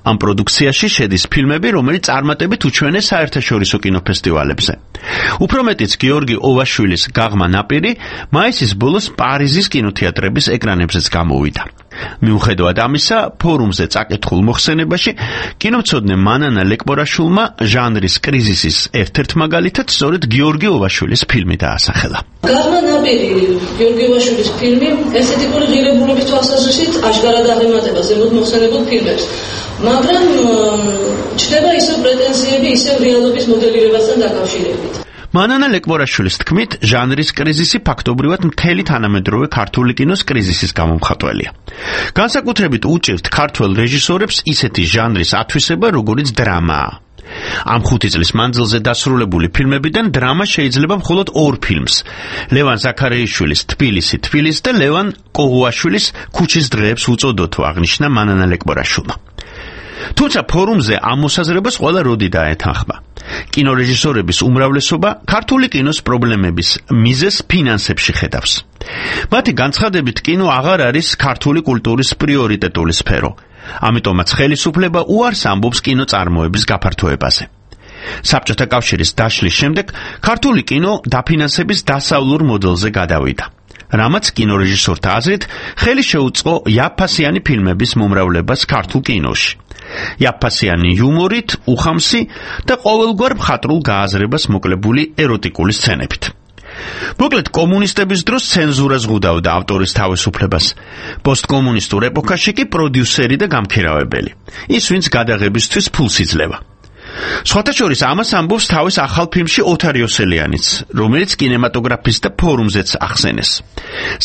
S3: ამ პროდუქციაში შედის ფილმები, რომელიც წარმატებით უჩვენეს საერთაშორისო კინოფესტივალებზე. უფრო მეტიც გიორგი ოვაშვილის გაღმა ნაპირი მაისის ბოლოს პარიზის კინოთეატრების ეკრანებზეც გამოვიდა. მიუხედავად ამისა, ფორუმზე წაკითხულ მოხსენებაში კინომცოდნე მანანა ლეკპორაშვილმა ჟანრის კრიზისის ერთ-ერთ მაგალითად სწორედ გიორგი ოვაშვილის ფილმი დაასახელა.
S16: გაღმა ნაპირი, გიორგი ოვაშვილის ფილმი, ესე ტიპური ღირებულების თვალსაზრისით აშკარად აღემატება ზემოთ მოხსენებულ ფილმებს. მაგრამ ჩნდება ისევ პრეტენზიები, ისევ რეალობის მოდელირებასთან დაკავშირებით.
S3: მანანა ლეკპორაშვილის თქმით, ჟანრის კრიზისი ფაქტობრივად მთელი თანამედროვე ქართული კინოს კრიზისის გამომხატველია. განსაკუთრებით უჭირთ ქართველ რეჟისორებს ისეთი ჟანრის ათვისება, როგორიც დრამაა. ამ 5 წლის მანძილზე დასრულებული ფილმებიდან დრამა შეიძლება მხოლოდ 2 ფილმს, ლევან ზაქარეიშვილის თბილისი და ლევან კოღუაშვილის ქუჩის დღეებს უწოდოთ, აღნიშნა მანანა ლეკპორაშვილმა. თუმცა ფორუმზე ამ მოსაზრებას ყველა როდი დაეთანხმა. კინორეჟისორების უმრავლესობა ქართული კინოს პრობლემების მიზეზს ფინანსებში ხედავს. მათი განცხადებით, კინო აღარ არის ქართული კულტურის პრიორიტეტული სფერო. ამიტომაც ხელისუფლება უარს ამბობს კინოწარმოების გაფართოებაზე. საბჭოთა კავშირის დაშლის შემდეგ ქართული კინო დაფინანსების დასავლურ მოდელზე გადავიდა. რამაც კინორეჟისორთა აზრით ხელი შეუწყო იაფფასიანი ფილმების მომრავლებას ქართულ კინოში. იაფფასიანი იუმორით, უხამსი და ყოველგვარ მხატვრულ გააზრებას მოკლებული ეროტიკული სცენებით. მოკლედ, კომუნისტების დროს ცენზურა ზღუდავდა ავტორის თავისუფლებას. პოსტკომუნისტურ ეპოქაში კი პროდიუსერი და გამქერავებელი. ის, ვინც გადაღებისთვის ფულს იძლევა. სხვათა შორის ამას ამბობს თავის ახალ ფილმში ოთარ იოსელიანიც, რომელიც კინემატოგრაფისტთა ფორუმზეც ახსენეს.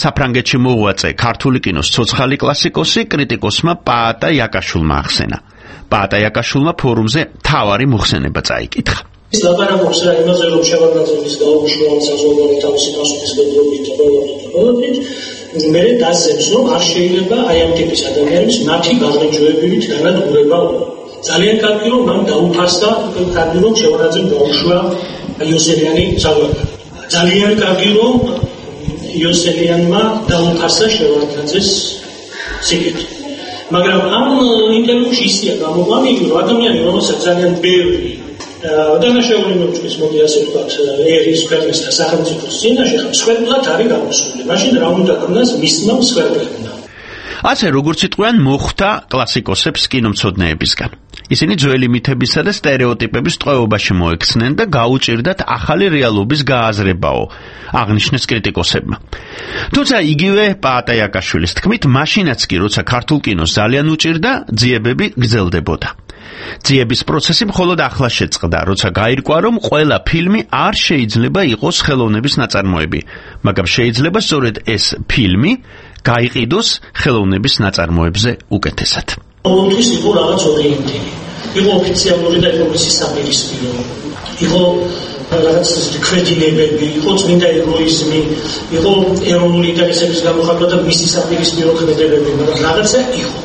S3: საფრანგეთში მოღვაწე ქართული კინოს ცოცხალი კლასიკოსი კრიტიკოსმა პაატა იაკაშვილმა ახსენა. პაატა იაკაშვილმა ფორუმზე თავარი მოხსენება წაიკითხა.
S15: ის ლაპარაკობს რა იმაზე, რომ შევარდნაძის გაუშვან საზოგადოებრივი თავისი პასუხისმგებლობით და პრობლემებით, მე დასწრებს, რომ არ შეიძლება აი ამ ტიპის ადამიანის მათი გაღრიჯოებებით განადგურება. ძალიან კარგი რომ მან დაუფასდა, კარგი რომ შევარდნაძემ გაუშვა იოსელიანი საზოგადოება. ძალიან კარგი რომ იოსელიანმა დაუფასდა შევარდნაძეს სიკეთე. მაგრამ ამ ინტერვიუში ისია გამოყვანილი, რომ ადამიანი რომელსაც ძალიან ბევრი დანაშაული მოწმის მოდი ასე ვთქვათ, ერის ქვეყნის და სახელმწიფოს წინაშე მსხვერპლად არის გამოსული. მაშინ რა უნდა ქონდეს მისმა მსხვერპლებმა.
S3: ასე როგორც იტყვიან მოხდა კლასიკოსებს კინომცოდნეებისგან. ისინი ძველი მითებისა და სტერეოტიპების ტყვეობაში მოექცნენ და გაუჭირდათ ახალი რეალობის გააზრებაო, აღნიშნეს კრიტიკოსებმა. თუმცა იგივე პაატა იაკაშვილის თქმით, მაშინაც კი როცა ქართულ კინოს ძალიან უჭირდა, ძიებები გრძელდებოდა. ძიების პროცესი მხოლოდ ახლა შეწყდა, როცა გაირკვა, რომ ყველა ფილმი არ შეიძლება იყოს ხელოვნების ნაწარმოები, მაგრამ შეიძლება სწორედ ეს ფილმი გაიყიდოს ხელოვნების ნაწარმოებზე უკეთესად.
S15: ყოველთვის იყო რაღაც ორიენტირი. იყო ოფიციალური და ეკონომიკის საპირისპირო. იყო რაღაც კრედილებები, იყო წმინდა ეგოიზმი, იყო ეროვნული ინტერესების გამოხატვა და მისი საპირისპირო ქმედებები, მაგრამ რაღაცა იყო.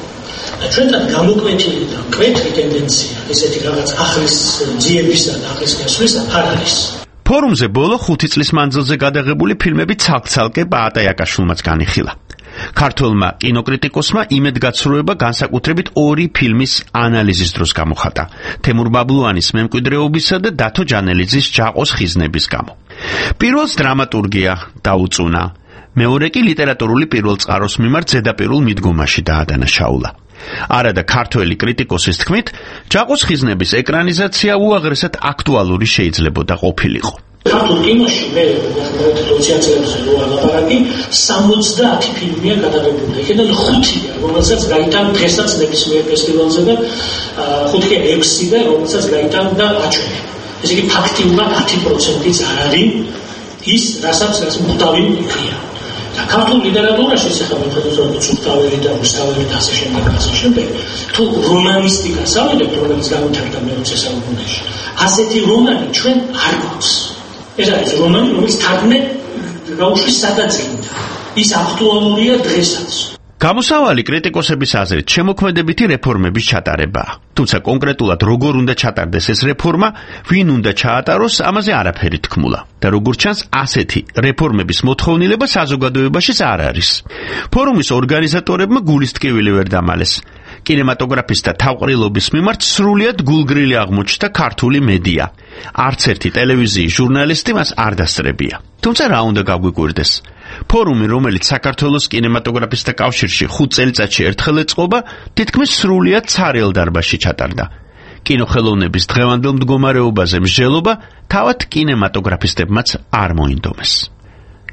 S15: ჩვენთან გამოკვეთილი და მკვეთრი ტენდენცია ესეთი რაღაც ახლის ძიებისა და ახლის გასვლისა არ არის.
S3: ფორუმზე ბოლო 5 წლის მანძილზე გადაღებული ფილმები ცალკ-ცალკე პაატა იაკაშვილმაც განიხილა. ქართველმა კინოკრიტიკოსმა იმედგაცრუება განსაკუთრებით 2 ფილმის ანალიზის დროს გამოხატა: თემურ ბაბლუანის მემკვიდრეობისა და დათო ჯანელიძის ჯაყოს ხიზნების გამო. პირველს დრამატურგია დაუწუნა, მეორე კი ლიტერატურული პირველწყაროს მიმართ ზედაპირულ მიდგომაში დაადანაშაულა. არადა ქართველი კრიტიკოსის თქმით, ჯაყოს ხიზნების ეკრანიზაცია უაღრესად აქტუალური შეიძლებოდა ყოფილიყო.
S15: ქართულ კინოში მე 20 წელიწადზე რო ალაპარაკი 70 ფილმია გადაღებული. იქიდან 5-ია, რომელსაც გაიტანა დღესაც ნებისმიერ ფესტივალზე და 5-ია 6-და, რომელსაც გაიტანა აჩვენა. ესე იგი ფაქტიურად 10%-იც არ არის ის, რასაც მუხტავი იქია. და ქართულ ლიტერატურაში სახელმწიფო სულტავერი და რუსთავერი და ასე შემდეგ, თუ რომანისტიკას ავიდებთ, რომელიც გამოვიდა მე-20 საუკუნეში, ასეთი რომანი ჩვენ არ გვაქვს. ეს არის რომანი, რომელიც თარგმნე გაუშვის სადაძინდა. ის აქტუალურია დღესაც.
S3: გამოსავალი კრიტიკოსების აზრით შემოქმედებითი რეფორმების ჩატარებაა. თუმცა კონკრეტულად როგორ უნდა ჩატარდეს ეს რეფორმა, ვინ უნდა ჩაატაროს, ამაზე არაფერი თქმულა. და როგორც ჩანს, ასეთი რეფორმების მოთხოვნილება საზოგადოებაშიც არ არის. ფორუმის ორგანიზატორებმა გულის ტკივილი ვერ დამალეს. კინემატოგრაფისტთა თავყრილობის მიმართ სრულიად გულგრილი აღმოჩნდა ქართული მედია. არც ერთი ტელევიზიის ჟურნალისტი მას არ დასწრებია. თუმცა რა უნდა გაგვიკვირდეს? ფორუმი, რომელიც საქართველოს კინემატოგრაფისტთა კავშირში 5 წელიწადში ერთხელ ეწყობა, თითქმის სრულიად ცარიელ დარბაზში ჩატარდა. კინოხელოვნების დღევანდელ მდგომარეობაზე მსჯელობა თავად კინემატოგრაფისტებმაც არ მოინდომეს.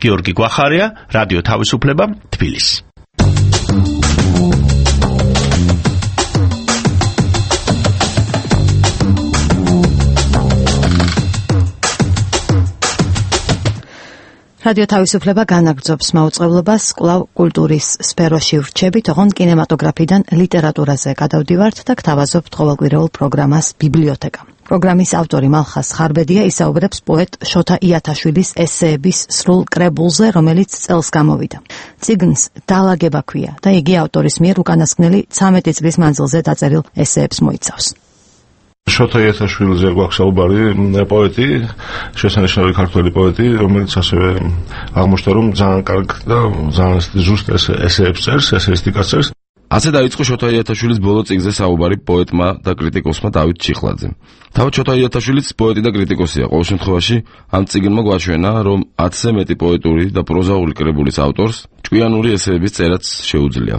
S3: გიორგი გვახარია, რადიო თავისუფლება, თბილისი.
S1: რადიო თავისუფლება განაგრძობს მაუწყებლობას კვლავ კულტურის სფეროში ვრჩებით, ოღონდ კინემატოგრაფიდან ლიტერატურაზე გადავდივართ და გთავაზობთ ყოველკვირეულ პროგრამას ბიბლიოთეკა. პროგრამის ავტორი მალხას ხარბედია ისაუბრებს პოეტ შოთა იათაშვილის ესეების სრულ კრებულზე, რომელიც წელს გამოვიდა. წიგნს დალაგება ქვია და იგი ავტორის მიერ უკანასკნელი 13 წლის მანძილზე დაწერილ ესეებს მოიცავს.
S17: შოთა იათაშვილიზე გვაქვს საუბარი, პოეტი, შესანიშნავი ქართველი პოეტი, რომელიც ასევე აღმოჩნდა, რომ ძალიან კარგ და ძალიან ზუსტ ესეებს წერს, ესეისტიკას წერს.
S4: ასე დაიწყო შოთა იათაშვილის ბოლო წიგნზე საუბარი პოეტმა და კრიტიკოსმა დავით ჩიხლაძემ. თავად შოთა იათაშვილიც პოეტი და კრიტიკოსია. ყოველ შემთხვევაში ამ წიგნმა გვაჩვენა, რომ 10-ზე მეტი პოეტური და პროზაული კრებულის ავტორს ჭკვიანური ესეების წერაც შეუძლია.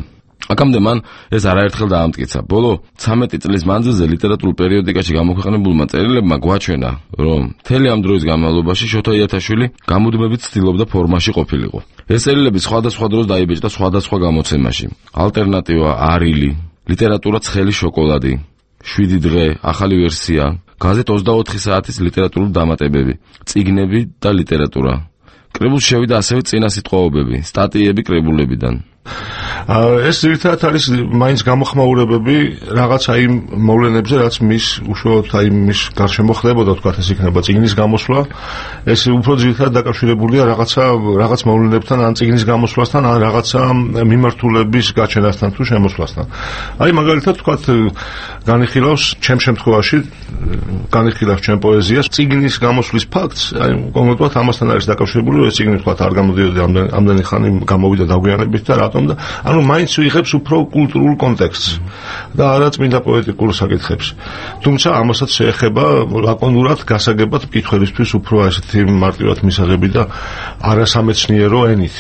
S4: აქამდე მან ეს არაერთხელ დაამტკიცა. ბოლო 13 წლის მანძილზე ლიტერატურულ პერიოდიკაში გამოქვეყნებულმა წერილებმა გვაჩვენა, რომ მთელი ამ დროის განმავლობაში შოთა იათაშვილი გამუდმებით ცდილობდა ფორმაში ყოფილიყო. ეს წერილები სხვადასხვა დროს დაიბეჭდა სხვადასხვა გამოცემაში. ალტერნატივა არილი, ლიტერატურა ცხელი შოკოლადი, 7 დღე, ახალი ვერსია, გაზეთ 24 საათის ლიტერატურული დამატებები, წიგნები და ლიტერატურა. კრებულში შევიდა ასევე წინასიტყვაობები, სტატიები კრებულებიდან.
S17: ეს ერთად არის მაინც გამოხმაურებები რაღაც აი მოვლენებზე, რაც მის უშუალოდ აი მის გარშემო ხდებოდა, თქვათ ეს იქნება წიგნის გამოსვლა. ეს უფრო ძირითადად დაკავშირებულია რაღაც მოვლენებთან, ან წიგნის გამოსვლასთან, ან რაღაცა მიმართულების გაჩენასთან თუ შემოსვლასთან. აი მაგალითად თქვათ განიხილავს ჩემ შემთხვევაში განიხილავს ჩემ პოეზიას წიგნის გამოსვლის ფაქტს, აი კონკრეტულად ამასთან არის დაკავშირებული, ეს წიგნი თქვათ არ გამოდიოდა ამდენი ხანი გამოვიდა დაგვიანებით და რატომ და ანუ მაინც ვიღებს უფრო კულტურულ კონტექსტს და არა წმინდა პოეტიკურ საკითხებს. თუმცა ამასაც შეეხება ლაკონურად გასაგებად მკითხველისთვის უფრო ასეთი მარტივად მისაღები და არასამეცნიერო ენით.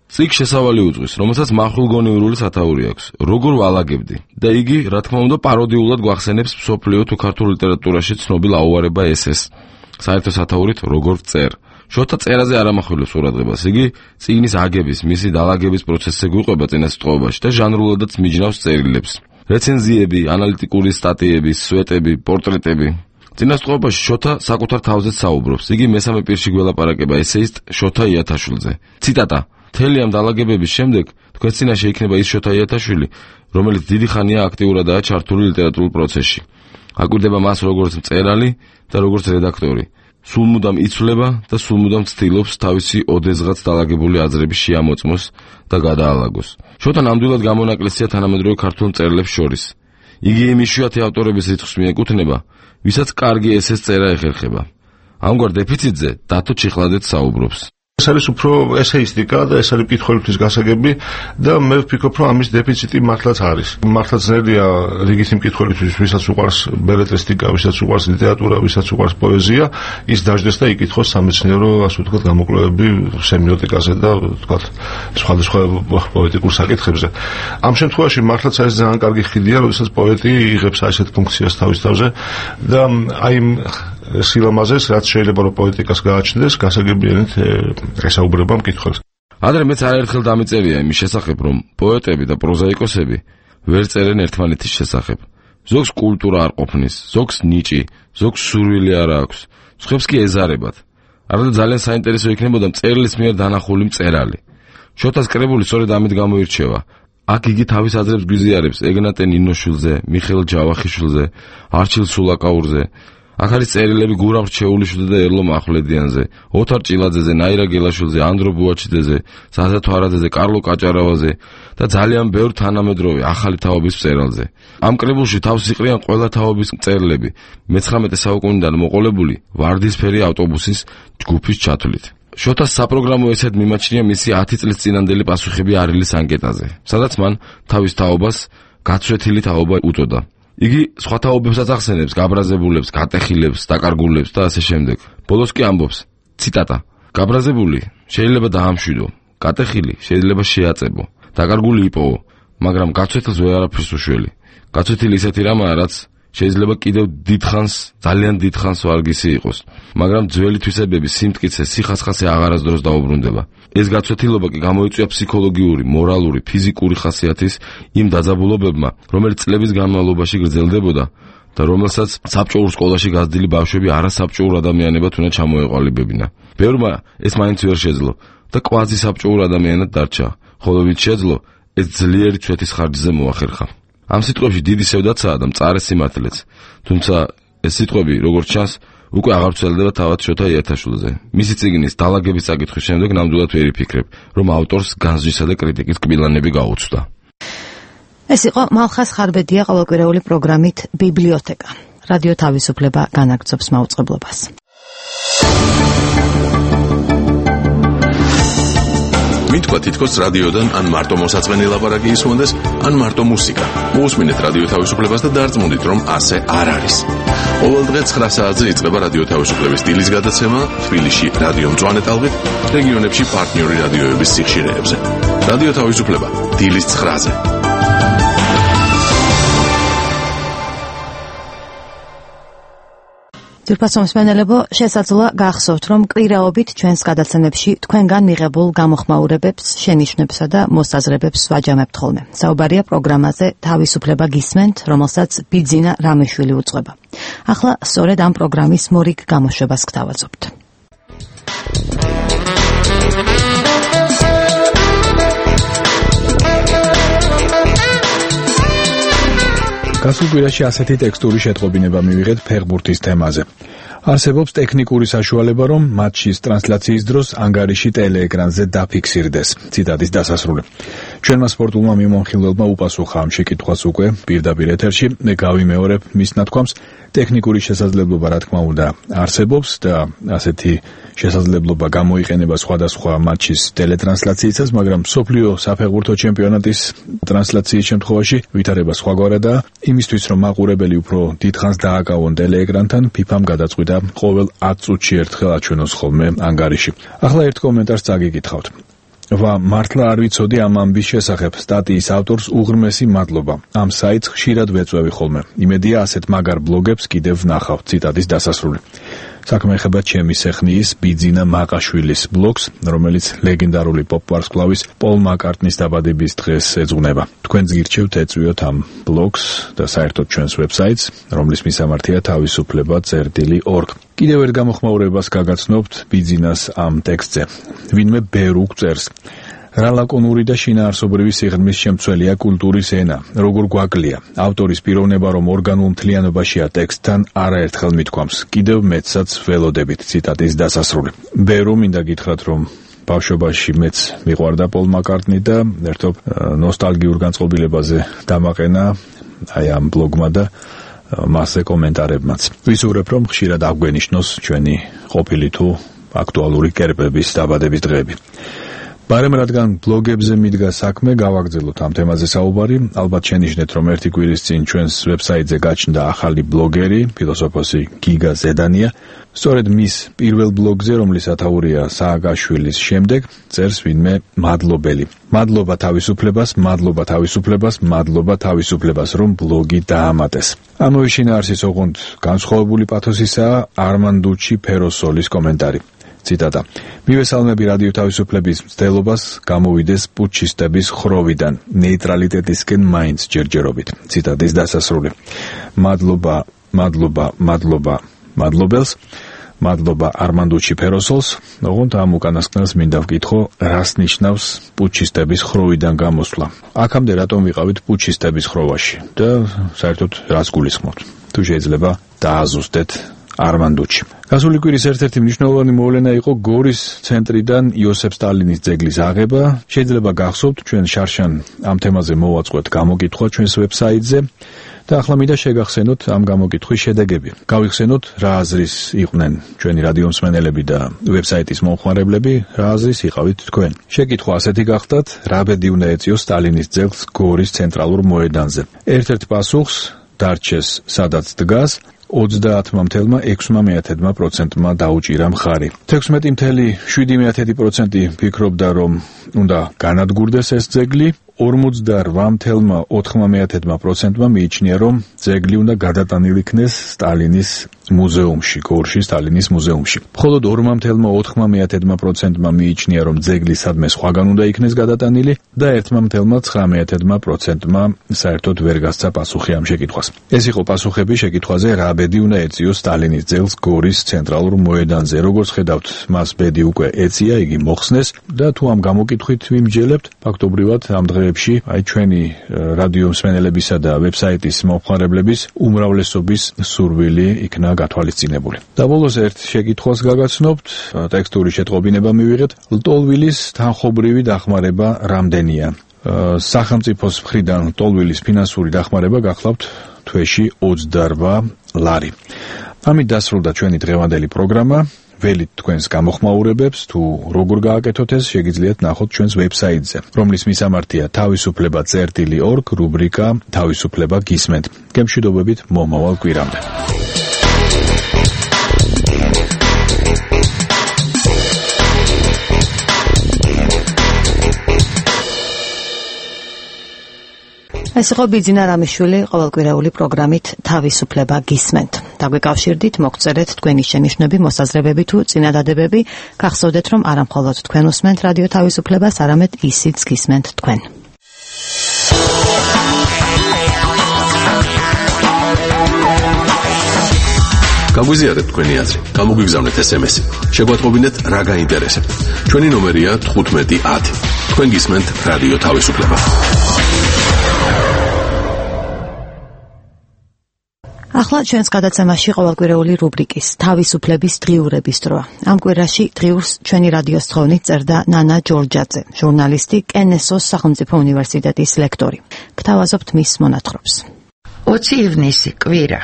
S4: წიგნს შესავალი უძღვის, რომელსაც მახვილგონიურული სათაური აქვს. როგორ ვალაგებდი? და იგი, რა თქმა უნდა, პაროდიულად გვახსენებს მსოფლიო თუ ქართულ ლიტერატურაში ცნობილ აუარება ესეს. საერთო სათაურით როგორ წერ. შოთა წერაზე არ ამახვილებს ყურადღებას. იგი წიგნის აგების, მისი დალაგების პროცესზე გვიყვება წინასიტყვაობაში და ჟანრულადაც მიჯნავს წერილებს. რეცენზიები, ანალიტიკური სტატიები, სვეტები, პორტრეტები. წინასიტყვაობაში შოთა საკუთარ თავზე საუბრობს. იგი მესამე პირში გველაპარაკება ესეისტ შოთა იათაშვილზე. ციტატა: მთელი ამ დალაგებების შემდეგ თქვენ წინაშე იქნება ის შოთა იათაშვილი, რომელიც დიდი ხანია აქტიურადაა ჩართული ლიტერატურულ პროცესში. აკვირდება მას როგორც მწერალი და როგორც რედაქტორი. სულ მუდამ იცვლება და სულ მუდამ ცდილობს თავისი ოდესღაც დალაგებული აზრები შეამოწმოს და გადაალაგოს. შოთა ნამდვილად გამონაკლისია თანამედროვე ქართულ მწერლებს შორის. იგი იმ იშვიათი ავტორების რიცხვს მიეკუთვნება, ვისაც კარგი ესეს წერა ეხერხება. ამგვარ დეფიციტზე დათო ჩიხლადეც საუბრობს.
S17: ეს არის უფრო ესეისტიკა და ეს არის მკითხველისთვის გასაგები და მე ვფიქრობ, რომ ამის დეფიციტი მართლაც არის. მართლაც ძნელია რიგითი მკითხველისთვის, ვისაც უყვარს ბელეტრისტიკა, ვისაც უყვარს ლიტერატურა, ვისაც უყვარს პოეზია, ის დაждდეს და იკითხოს სამეცნიერო, ასე ვთქვათ, გამოკვლევები სემიოტიკაზე და ვთქვათ, სხვადასხვა პოეტიკურ საკითხებზე. ამ შემთხვევაში მართლაც არის ძალიან კარგი ხიდია, როდესაც პოეტი იღებს ასეთ ფუნქციას თავის თავზე და აი სილამაზეს, რაც შეიძლება რომ პოეტიკას გააჩნდეს, გასაგებიანით ესაუბრება მკითხველს.
S4: ადრე მეც არაერთხელ დამიწერია იმის შესახებ, რომ პოეტები და პროზაიკოსები ვერ წერენ ერთმანეთის შესახებ. ზოგს კულტურა არ ყოფნის, ზოგს ნიჭი, ზოგს სურვილი არ აქვს, სხვებს კი ეზარებათ. არადა ძალიან საინტერესო იქნებოდა მწერლის მიერ დანახული მწერალი. შოთას კრებული სწორედ ამით გამოირჩევა. აქ იგი თავის აზრებს გვიზიარებს ეგნატე ნინოშვილზე, მიხეილ ჯავახიშვილზე, არჩილ სულაკაურზე. აქ არის წერილები გურამ რჩეულიშვილზე და ერლო მახვლედიანზე, ოთარ ჭილაძეზე, ნაირა გელაშვილზე, ანდრო ბუაჩიძეზე, ზაზა თვარაძეზე, კარლო კაჭარავაზე და ძალიან ბევრ თანამედროვე ახალი თაობის მწერალზე. ამ კრებულში თავს იყრიან ყველა თაობის მწერლები, მე-19 საუკუნიდან მოყოლებული ვარდისფერი ავტობუსის ჯგუფის ჩათვლით. შოთას საპროგრამო ესედ მიმაჩნია მისი 10 წლის წინანდელი პასუხები არილის ანკეტაზე, სადაც მან თავის თაობას გაცვეთილი თაობა უწოდა. იგი სხვა თაობებსაც ახსენებს, გაბრაზებულებს, გატეხილებს, დაკარგულებს და ასე შემდეგ. ბოლოს კი ამბობს, ციტატა: გაბრაზებული შეიძლება დაამშვიდო, გატეხილი შეიძლება შეაწებო, დაკარგული იპოვო, მაგრამ გაცვეთილს ვერ არაფერს უშველი. გაცვეთილი ისეთი რამაა, რაც შეიძლება კიდევ დიდხანს, ძალიან დიდხანს ვარგისი იყოს, მაგრამ ძველი თვისებების სიმტკიცე, სიხასხასე აღარასდროს დაუბრუნდება. ეს გაცვეთილობა კი გამოიწვია ფსიქოლოგიური, მორალური, ფიზიკური ხასიათის იმ დაძაბულობებმა, რომელიც წლების განმავლობაში გრძელდებოდა და რომელსაც საბჭოურ სკოლაში გაზრდილი ბავშვები არასაბჭოურ ადამიანებად უნდა ჩამოეყალიბებინა. ბევრმა ეს მაინც ვერ შეძლო და კვაზი საბჭოურ ადამიანად დარჩა, ხოლო ვით შეძლო, ეს ძლიერი ცვეთის ხარჯზე მოახერხა. ამ სიტყვებში დიდი სევდაცაა და მწარე სიმართლეც, თუმცა ეს სიტყვები, როგორც ჩანს, უკვე აღარ ვრცელდება თავად შოთა იათაშვილზე. მისი წიგნის დალაგების საკითხის შემდეგ ნამდვილად ვერ იფიქრებ, რომ ავტორს განსჯისა და კრიტიკის კბილანები გაუწვდა.
S1: ეს იყო მალხას ხარბედია ყოველკვირეული პროგრამით ბიბლიოთეკა. რადიო თავისუფლება განაგრძობს მაუწყებლობას.
S18: მითქვა თითქოს რადიოდან ან მარტო მოსაწყენი ლაპარაკი ისმონდეს, ან მარტო მუსიკა. მოусმინეთ რადიო თავისუფლებას და დარწმუნდით, რომ ასე არ არის. ყოველ დღე 9 საათზე იწყება რადიო თავისუფლების დილის გადაცემა თბილისში რადიო მწვანე ტალღით, რეგიონებში პარტნიორი რადიოების სიხშირეებზე. რადიო თავისუფლება დილის 9-ზე.
S1: ძვირფასო მსმენელებო, შესაძლოა გახსოვთ, რომ კვირაობით ჩვენს გადაცემებში თქვენგან მიღებულ გამოხმაურებებს, შენიშვნებსა და მოსაზრებებს ვაჯამებთ ხოლმე. საუბარია პროგრამაზე თავისუფლება გისმენთ, რომელსაც ბიძინა რამეშვილი უძღვება. ახლა სწორედ ამ პროგრამის მორიგ გამოშვებას გთავაზობთ.
S11: გასულ კვირაში ასეთი ტექსტური შეტყობინება მივიღეთ ფეხბურთის თემაზე. არსებობს ტექნიკური საშუალება, რომ მატჩის ტრანსლაციის დროს ანგარიში ტელეეკრანზე დაფიქსირდეს. ციტატის დასასრული. ჩვენმა სპორტულმა მიმოხილველმა უპასუხა ამ შეკითხვას უკვე პირდაპირ ეთერში. მე გავიმეორებ მის ნათქვამს. ტექნიკური შესაძლებლობა, რა თქმა უნდა, არსებობს და ასეთი შესაძლებლობა გამოიყენება სხვადასხვა მატჩის ტელეტრანსლაციისას, მაგრამ მსოფლიო საფეხბურთო ჩემპიონატის ტრანსლაციის შემთხვევაში ვითარება სხვაგვარადაა. იმისთვის, რომ მაყურებელი უფრო დიდხანს დააკავონ ტელეეკრანთან, FIFA-მ გადაწყვიტა ყოველ 10 წუთში ერთხელ აჩვენოს ხოლმე ანგარიში. ახლა ერთ კომენტარს წაგიკითხავთ. მართლა არ ვიცოდი ამ ამბის შესახებ. სტატიის ავტორს უღრმესი მადლობა. ამ საიტს ხშირად ვეწვევი ხოლმე. იმედია ასეთ მაგარ ბლოგებს კიდევ ვნახავ. ციტატის დასასრული. საქმე ეხება ჩემი სეხნიის ბიძინა მაყაშვილის ბლოგს, რომელიც ლეგენდარული პოპ-ვარსკვლავის პოლ მაკარტნის დაბადების დღეს ეძღვნება. თქვენც გირჩევთ ეწვიოთ ამ ბლოგს და საერთოდ ჩვენს ვებსაიტს, რომლის მისამართია თავისუფლება.org. კიდევ ერთ გამოხმაურებას გაგაცნობთ ბიძინას ამ ტექსტზე. ვინმე ბევრ უგწერს. რა ლაკონური და შინაარსობრივი სიღრმის შემცველია კულტურის ენა, როგორ გვაკლია. ავტორის პიროვნება, რომ ორგანულ მთლიანობაშია ტექსტთან, არაერთხელ მithქვამს. კიდევ მეცაც ველოდებით. ციტატის დასასრული. ბევრ მინდა გითხრათ, რომ ბავშვობაში მეც მიყვარდა პოლ მაკარტნი და ერთობ ნოსტალგიურ განწყობილებაზე დამაყენა აი ამ ბლოგმა და მასზე კომენტარებმაც. ვისურვებ, რომ ხშირად აგვენიშნოს ჩვენი ყოფილი თუ აქტუალური კერპების დაბადების დღეები. ბარემ რადგან ბლოგებზე მიდგა საქმე, გავაგრძელოთ ამ თემაზე საუბარი. ალბათ შენიშნეთ, რომ ერთი კვირის წინ ჩვენს ვებსაიტზე გაჩნდა ახალი ბლოგერი, ფილოსოფოსი გიგა ზედანია. სწორედ მის პირველ ბლოგზე, რომლის ათაურია სააკაშვილის შემდეგ, წერს ვინმე მადლობელი. მადლობა თავისუფლებას, მადლობა თავისუფლებას, მადლობა თავისუფლებას, რომ ბლოგი დაამატეს. ამავე შინაარსის ოღონდ განსხვავებული პათოსისაა არმანდუჩი ფეროსოლის კომენტარი. ციტატა. მივესალმები რადიო თავისუფლების მცდელობას გამოვიდეს პუჩისტების ხროვიდან, ნეიტრალიტეტისკენ მაინც ჯერჯერობით. ციტატის დასასრული. მადლობა, მადლობა, მადლობა, მადლობელს, მადლობა არმანდუჩი ფეროსოლს. ოღონდ ამ უკანასკნელს მინდა ვკითხო, რას ნიშნავს პუჩისტების ხროვიდან გამოსვლა. აქამდე რატომ ვიყავით პუჩისტების ხროვაში და საერთოდ რას გულისხმობთ? თუ შეიძლება დააზუსტეთ არმანდუჩი. გასული კვირის ერთ-ერთი მნიშვნელოვანი მოვლენა იყო გორის ცენტრიდან იოსებ სტალინის ძეგლის აღება. შეიძლება გახსოვთ, ჩვენ შარშან ამ თემაზე მოვაწყოთ გამოკითხვა ჩვენს ვებსაიტზე და ახლა მინდა შეგახსენოთ ამ გამოკითხვის შედეგები. გავიხსენოთ, რა აზრის იყვნენ ჩვენი რადიო მსმენელები და ვებსაიტის მომხმარებლები, რა აზრის იყავით თქვენ. შეკითხვა ასეთი გახდათ, რა ბედი უნდა ეწიოს სტალინის ძეგლს გორის ცენტრალურ მოედანზე. ერთ-ერთ პასუხს დარჩეს სადაც დგას 30,6% დაუჭირა მხარი. 16,7% ფიქრობდა, რომ უნდა განადგურდეს ეს ძეგლი. 48,9% მიიჩნია, რომ ძეგლი უნდა გადატანილი იქნეს სტალინის მუზეუმში, გორში სტალინის მუზეუმში. მხოლოდ 2,9% მიიჩნია, რომ ძეგლი სადმე სხვაგან უნდა იქნეს გადატანილი და 1,9%-მა საერთოდ ვერ გასცა პასუხი ამ შეკითხვას. ეს იყო პასუხები შეკითხვაზე, რა ბედი უნდა ეწიოს სტალინის ძეგლს გორის ცენტრალურ მოედანზე. როგორც ხედავთ, მას ბედი უკვე ეწია, იგი მოხსნეს და თუ ამ გამოკითხვით ვიმჯელებთ, ფაქტობრივად ამ დღეებში აი ჩვენი რადიო მსმენელებისა და ვებსაიტის მომხმარებლების უმრავლესობის სურვილი იქნა გათვალისწინებული. და ბოლოს ერთ შეკითხვას გაგაცნობთ, ტექსტური შეტყობინება მივიღეთ, ლტოლვილის თანხობრივი დახმარება რამდენია? სახელმწიფოს მხრიდან ლტოლვილის ფინანსური დახმარება გახლავთ თვეში 28 ლარი. ამით დასრულდა ჩვენი დღევანდელი პროგრამა. ველით თქვენს გამოხმაურებებს, თუ როგორ გააკეთოთ ეს, შეგიძლიათ ნახოთ ჩვენს ვებსაიტზე, რომლის მისამართია თავისუფლება.org, რუბრიკა თავისუფლება გისმენთ. გემშვიდობებით მომავალ კვირამდე.
S1: ეს იყო ბიძინა რამიშვილი ყოველკვირეული პროგრამით თავისუფლება გისმენთ. დაგვეკავშირდით, მოგწერეთ თქვენი შენიშვნები, მოსაზრებები თუ წინადადებები. გახსოვდეთ, რომ არა მხოლოდ თქვენ უსმენთ რადიო თავისუფლებას, არამედ ისიც გისმენთ თქვენ.
S18: გაგვიზიარეთ თქვენი აზრი, გამოგვიგზავნეთ SMS-ი. შეგვატყობინეთ რა გაინტერესებთ. ჩვენი ნომერია 1510. თქვენ გისმენთ რადიო თავისუფლება.
S1: ახლა ჩვენს გადაცემაში ყოველკვირეული რუბრიკის თავისუფლების დღიურების დროა. ამ კვირაში დღიურს ჩვენი რადიოს თხოვნით წერდა ნანა ჯორჯაძე, ჟურნალისტი, კენესოს სახელმწიფო უნივერსიტეტის ლექტორი. გთავაზობთ მის მონათხრობს.
S5: 20 ივნისი კვირა.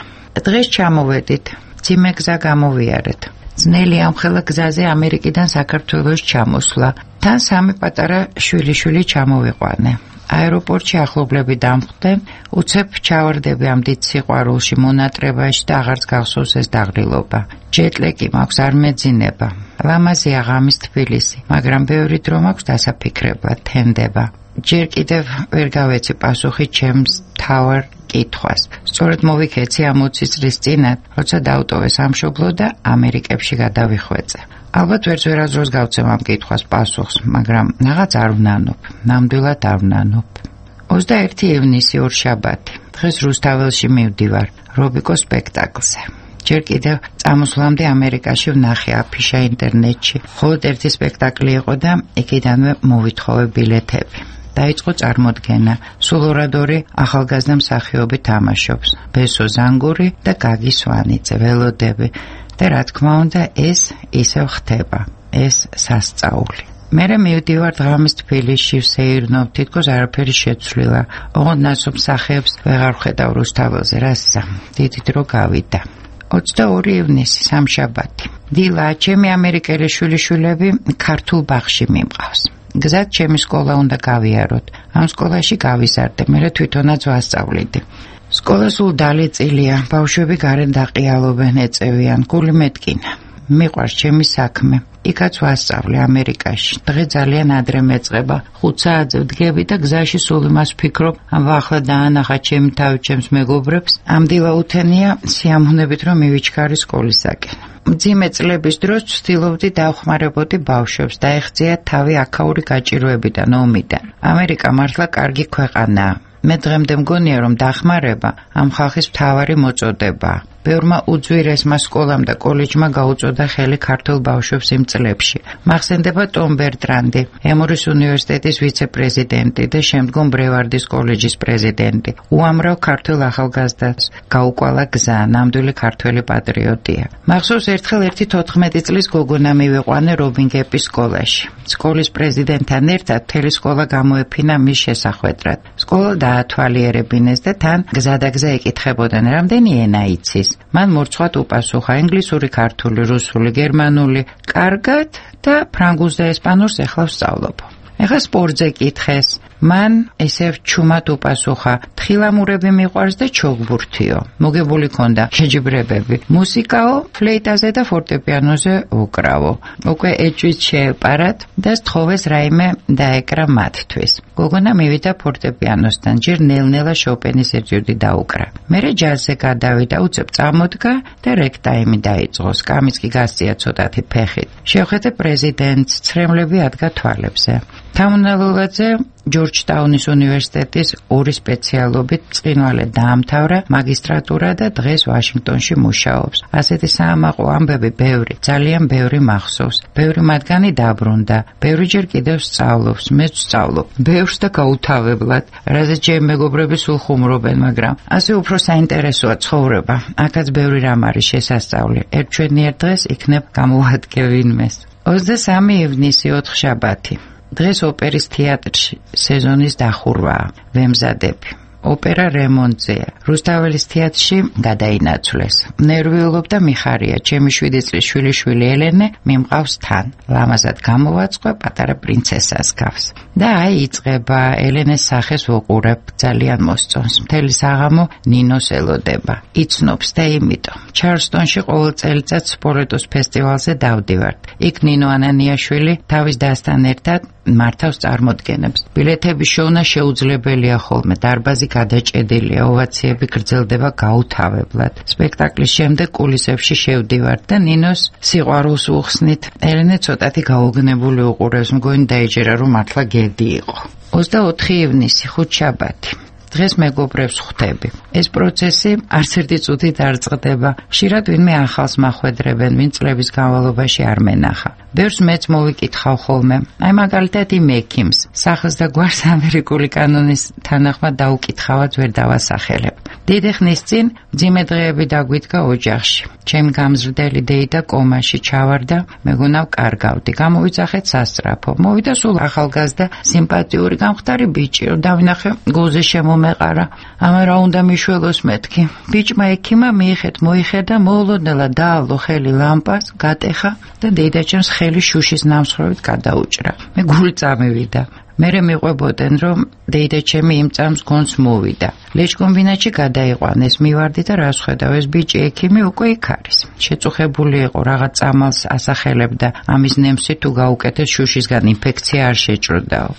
S5: დღეს ჩამოვედით. ძიმე გზა გამოვიარეთ. ძნელი ამხელა გზაზე ამერიკიდან საქართველოს ჩამოსვლა. თან სამი პატარა შვილიშვილი ჩამოვიყვანე. აეროპორტში ახლობლები დამხვდნენ, უცებ ჩავარდები ამ დიდ სიყვარულში, მონატრებაში და აღარც გახსოვს ეს დაღლილობა. ჯეტლეკი მაქვს, არ მეძინება. ლამაზია ღამის თბილისი, მაგრამ ბევრი დრო მაქვს დასაფიქრებლად, თენდება. ჯერ კიდევ ვერ გავეცი პასუხი ჩემს თავარ კითხვას. სწორედ მოვიქეცი ამ 20 წლის წინათ, როცა დავტოვე სამშობლო და ამერიკებში გადავიხვეწე. ალბათ ვერასდროს გავცემ ამ კითხვას პასუხს, მაგრამ რაღაც არ ვნანობ, ნამდვილად არ ვნანობ. 21 ივნისი ორშაბათი. დღეს რუსთაველში მივდივარ, რობიკოს სპექტაკლზე. ჯერ კიდევ წამოსვლამდე ამერიკაში ვნახე აფიშა ინტერნეტში. მხოლოდ ერთი სპექტაკლი იყო და იქიდანვე მოვითხოვე ბილეთები. დაიწყო წარმოდგენა. სულ ორადორი ახალგაზრდა მსახიობი თამაშობს. ბესო ზანგური და გაგი სვანიძე, ველოდები. და რა თქმა უნდა, ეს ისევ ხდება. ეს სასწაული. მერე მივდივარ ღამის თბილისში, ვსეირნობ, თითქოს არაფერი შეცვლილა. ოღონდ ნაცნობ მსახიობს ვეღარ ვხედავ რუსთაველზე, რასა, დიდი დრო გავიდა. 22 ივნისი სამშაბათი. დილა, ჩემი ამერიკელი შვილიშვილები ქართულ ბაღში მიმყავს. გზად ჩემი სკოლა უნდა გავიაროთ. ამ სკოლაში გავიზარდე, მერე თვითონაც ვასწავლიდი. სკოლა სულ დალეწილია, ბავშვები გარეთ დაყიალობენ, ეწევიან, გული მეტკინა. მიყვარს ჩემი საქმე. იქაც ვასწავლე ამერიკაში. დღე ძალიან ადრე მეწყება, 5 საათზე ვდგები და გზაში სულ იმას ვფიქრობ, ამ ახლა დაანახა ჩემი თავი ჩემს მეგობრებს. ამ დილა უთენია სიამოვნებით რომ მივიჩქარი სკოლისაკენ. მძიმე წლების დროს ვცდილობდი დავხმარებოდი ბავშვებს, დაეხწიათ თავი აქაური გაჭირვებიდან, ომიდან. ამერიკა მართლა კარგი ქვეყანაა. მე დღემდე მგონია რომ დახმარება ამ ხალხის მთავარი მოწოდებაა. ბევრმა უძვირესმა სკოლამ და კოლეჯმა გაუწოდა ხელი ქართულ ბავშვებს იმ წლებში. მახსენდება ტომ ბერტრანდი, ემორის უნივერსიტეტის ვიცე-პრეზიდენტი და შემდგომ ბრევარდის კოლეჯის პრეზიდენტი. უამრავ ქართულ ახალგაზრდას გაუკვალა გზა, ნამდვილი ქართველი პატრიოტია. მახსოვს ერთხელ ერთი 14 წლის გოგონა მივიყვანე რობინგეპის სკოლაში. სკოლის პრეზიდენტთან ერთად მთელი სკოლა გამოეფინა მის შესახვედრად. სკოლა დაათვალიერებინეს და თან გზადაგზა ეკითხებოდნენ, რამდენი ენა იცის. მან მორცხვად უპასუხა ინგლისური, ქართული, რუსული, გერმანული, კარგად და ფრანგულს და ესპანურს ეხლა ვსწავლობ. ეხლა სპორტზე კითხეს. მან ესევ ჩუმად უპასუხა, თხილამურები მიყვარს და ჩოგბურთიო. მოგებული ქონდა შეჯიბრებები. მუსიკაო, ფლეიტაზე და ფორტეპიანოზე უკრავო. უკვე ეჭვით შეეპარათ და სთხოვეს რაიმე დაეკრა მათთვის. გოგონა მივიდა ფორტეპიანოსთან, ჯერ ნელ-ნელა შოპენის ეტიუდი დაუკრა. მერე ჯაზზე გადავიდა, უცებ წამოდგა და რეკტაიმი დაიწყო. სკამიც კი გასწია ცოტათი ფეხით. შევხედე პრეზიდენტს, ცრემლები ადგა თვალებზე. თამუნალულაძე ჯორჯტაუნის უნივერსიტეტის 2 სპეციალობით წყინვალე დაამთავრა მაგისტრატურა და დღეს ვაშინგტონში მუშაობს. ასეთი საამაყო ამბები ბევრი, ძალიან ბევრი მახსოვს. ბევრი მათგანი დაბრუნდა, ბევრი ჯერ კიდევ სწავლობს, მეც ვსწავლობ. ბევრს და გაუთავებლად, რაზეც ჩემი მეგობრები სულ ხუმრობენ, მაგრამ ასე უფრო საინტერესოა ცხოვრება. აქაც ბევრი რამ არის შესასწავლი. ერთჩვენიერ დღეს იქნებ გამოვადგე ვინმეს. 23 ივნისი ოთხშაბათი. დღეს ოპერის თეატრში სეზონის დახურვაა. ვემზადები. ოპერა რემონტზეა. რუსთაველის თეატრში გადაინაცვლეს. ნერვიულობ და მიხარია. ჩემი 7 წლის შვილიშვილი ელენე მიმყავს თან. ლამაზად გამოვაწყვა პატარა პრინცესას გავს. და აი იწყება. ელენეს სახეს ვუყურებ. ძალიან მოსწონს. მთელი საღამო ნინოს ელოდება. იცნობს და იმიტომ. ჩარლსტონში ყოველ წელიწადს სპორეტოს ფესტივალზე დავდივართ. იქ ნინო ანანიაშვილი თავის დასთან ერთად მართავს წარმოდგენებს. ბილეთების შოვნა შეუძლებელია ხოლმე. დარბაზი გადაჭედილია, ოვაციები გრძელდება გაუთავებლად. სპექტაკლის შემდეგ კულისებში შევდივართ და ნინოს სიყვარულს უხსნით. ელენე ცოტათი გაუგნებული უყურებს, მგონი დაიჯერა, რომ მართლა გედი იყო. 24 ივნისი, ხუთშაბათი. დღეს მეგობრებს ხვდები. ეს პროცესი არც ერთი წუთით არ წყდება. ხშირად ვინმე ახალს მახვედრებენ, ვინ წლების განმავლობაში არ მენახა. ბევრს მეც მოვიკითხავ ხოლმე. აი მაგალითად იმ ექიმს, სახს და გვარს ამერიკული კანონის თანახმად დაუკითხავად ვერ დავასახელებ. დიდი ხნის წინ მძიმე დღეები დაგვიდგა ოჯახში. ჩემი გამზრდელი დეიდა კომაში ჩავარდა, მეგონავ კარგავდი. გამოვიძახეთ სასწრაფო. მოვიდა სულ ახალგაზრდა, სიმპათიური, გამხდარი ბიჭი, რომ დავინახე გულზე შემომეყარა. ამა რა უნდა მიშველოს მეთქი. ბიჭმა ექიმა მიიხეთ, მოიხედა, მოულოდნელად დაალო ხელი ლამპას, გატეხა და დეიდაჩემს ხელი შუშის ნამსხვრევით გადაუჭრა. მე გული წამივიდა. მერე მიყვებოდნენ, რომ დეიდაჩემი იმ წამს გონს მოვიდა. ლეჩკომბინატში გადაიყვანეს, მივარდი და რას ხედავ, ეს ბიჭი ექიმი უკვე იქ არის. შეწუხებული იყო, რაღაც წამალს ასახელებდა, ამის ნემსი თუ გაუკეთეს შუშისგან ინფექცია არ შეჭრდაო.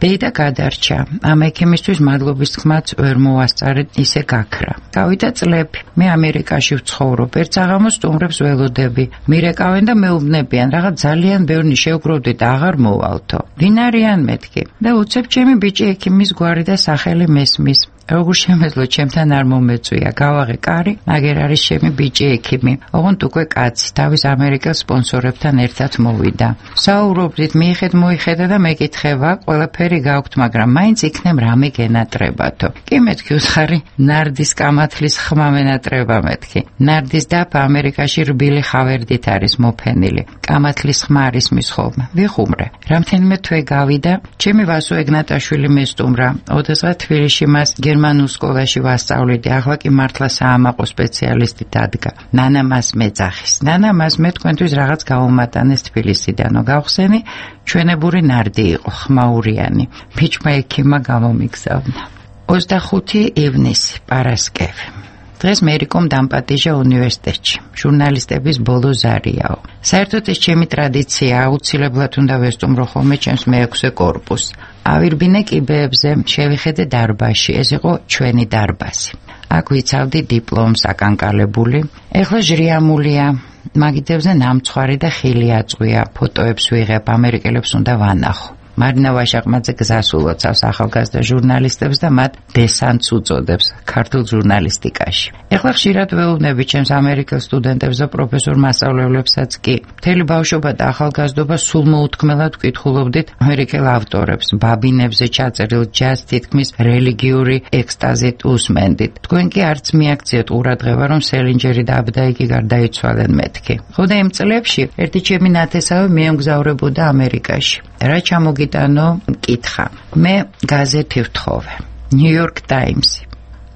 S5: დეიდა გადარჩა. ამ ექიმისთვის მადლობის თქმაც ვერ მოვასწარეთ, ისე გაქრა. გავიდა წლები. მე ამერიკაში ვცხოვრობ, ერთ საღამოს სტუმრებს ველოდები. მირეკავენ და მეუბნებიან, რაღაც ძალიან ბევრი შევგროვდით, აღარ მოვალთო. ვინ არიან მეთქი? და უცებ ჩემი ბიჭი ექიმის გვარი და სახელი მესმის. როგორ შემეძლო ჩემთან არ მომეწვია, გავაღე კარი, მაგერ არის ჩემი ბიჭი ექიმი. ოღონდ უკვე კაცი, თავის ამერიკელ სპონსორებთან ერთად მოვიდა. საუბრობდით, მიიხედ მოიხედა და მეკითხება, ყველაფერი გაქვთ, მაგრამ მაინც იქნებ რამე გენატრებათო. კი მეთქი უცხარი, ნარდის კამათლის ხმა მენატრება მეთქი. ნარდის დაფა ამერიკაში რბილი ხავერდით არის მოფენილი. კამათლის ხმა არის მის ხოლმე. ვიხუმრე. რამდენიმე თვე გავიდა, ჩემი ვასო ეგნატაშვილი მესტუმრა. ოდესღაც თბილისში მას გერმანულ სკოლაში ვასწავლიდი, ახლა კი მართლა საამაყო სპეციალისტი დადგა. ნანა მას მეძახის. ნანა მას მე თქვენთვის რაღაც გაუმატანეს თბილისიდანო. გავხსენი, ჩვენებური ნარდი იყო, ხმაურიანი. ბიჭმა ექიმა გამომიგზავნა. 25 ივნისი, პარასკევი. დღეს მერიკომ დამპატიჟა უნივერსიტეტში. ჟურნალისტების ბოლო ზარიაო. საერთოდ ეს ჩემი ტრადიცია, აუცილებლად უნდა ვესტუმრო ხოლმე ჩემს მე-6 კორპუსს. ავირბინე კიბეებზე, შევიხედე დარბაზში, ეს იყო ჩვენი დარბაზი. აქ ვიცავდი დიპლომს აკანკალებული. ეხლა ჟრიამულია, მაგიდებზე ნამცხვარი და ხილი აწყვია, ფოტოებს ვიღებ, ამერიკელებს უნდა ვანახო. მარინა ვაშაყმაძე გზას ულოცავს ახალგაზრდა ჟურნალისტებს და მათ დესანტს უწოდებს ქართულ ჟურნალისტიკაში. ეხლა ხშირად ვეუბნები ჩემს ამერიკელ სტუდენტებს და პროფესორ მასწავლებლებსაც კი. მთელი ბავშვობა და ახალგაზრდობა სულ მოუთქმელად ვკითხულობდით ამერიკელ ავტორებს, ბაბინებზე ჩაწერილ ჯაზს თითქმის რელიგიური ექსტაზით უსმენდით. თქვენ კი არც მიაქციეთ ყურადღება, რომ სელინჯერი და აბდაიკი გარდაიცვალენ მეთქი. ხოდა იმ წლებში ერთი ჩემი ნათესავი მიემგზავრებოდა ამერიკაში. რა ჩამოგიტანო? მკითხა. მე გაზეთი ვთხოვე. New York Times.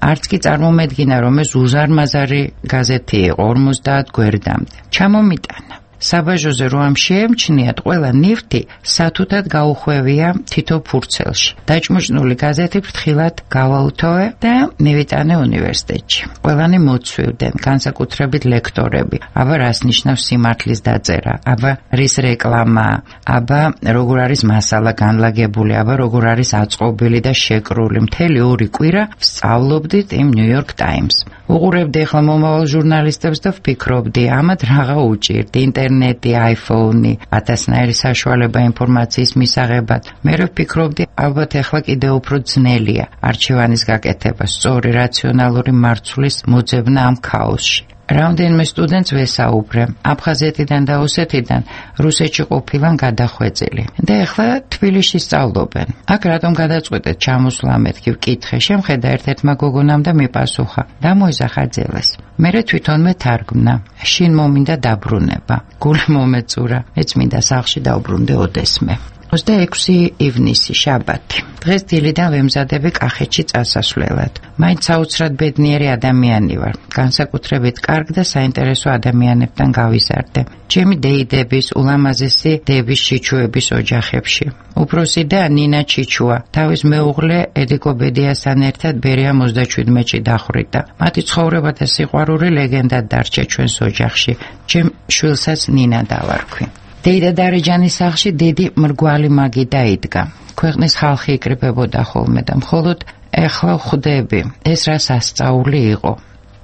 S5: არც კი წარმომედგინა, რომ ეს უზარმაზარი გაზეთი იყო 50 გვერდამდე. ჩამომიტანა. საბაჟოზე რო ამ შეემჩნიათ, ყველა ნივთი სათუთად გაუხვევია თითო ფურცელში. დაჭმუჭნული გაზეთი ფრთხილად გავაუთოვე და მივიტანე უნივერსიტეტში. ყველანი მოცვივდნენ, განსაკუთრებით ლექტორები. აბა რას ნიშნავს სიმართლის დაწერა, აბა რის რეკლამაა, აბა როგორ არის მასალა განლაგებული, აბა როგორ არის აწყობილი და შეკრული. მთელი 2 კვირა ვსწავლობდით იმ New York Times. უყურებდი ახლა მომავალ ჟურნალისტებს და ვფიქრობდი, ამათ რაღა უჭირთ, ინტერნეტი, iPhone-ი, ათასნაირი საშუალება ინფორმაციის მისაღებად. მე ვფიქრობდი, ალბათ ახლა კიდევ უფრო ძნელია არჩევანის გაკეთება, სწორი რაციონალური მარცვლის მოძებნა ამ ქაოსში. რამდენიმე სტუდენტს ვესაუბრე, აფხაზეთიდან და ოსეთიდან რუსეთში ყოფილან გადახვეწილი და ახლა თბილისში სწავლობენ. აქ რატომ გადაწყვეტეთ ჩამოსვლა მეთქი ვკითხე, შემხედა ერთ-ერთმა გოგონამ და მიპასუხა, დამოიზახა ძელეს. მერე თვითონმე თარგმნა, შინ მომინდა დაბრუნება, გული მომეწურა, მეც მინდა სახლში დავბრუნდე ოდესმე. 26 ივნისი, შაბათი. დღეს დილიდან ვემზადები კახეთში წასასვლელად. მაინც საოცრად ბედნიერი ადამიანი ვარ. განსაკუთრებით კარგ და საინტერესო ადამიანებთან გავიზარდე. ჩემი დეიდების, ულამაზესი დების ჩიჩუების ოჯახებში. უფროსი და ნინა ჩიჩუა თავის მეუღლე ედიკო ბედიასთან ერთად ბერია 37-ში დახვრიტა. მათი ცხოვრება და სიყვარული ლეგენდად დარჩა ჩვენს ოჯახში. ჩემ შვილსაც ნინა დავარქვი. დეიდა დარეჯანის სახლში დიდი მრგვალი მაგი დაიდგა. ქვეყნის ხალხი იკრიბებოდა ხოლმე და მხოლოდ ეხლა ხვდები, ეს რა სასწაული იყო.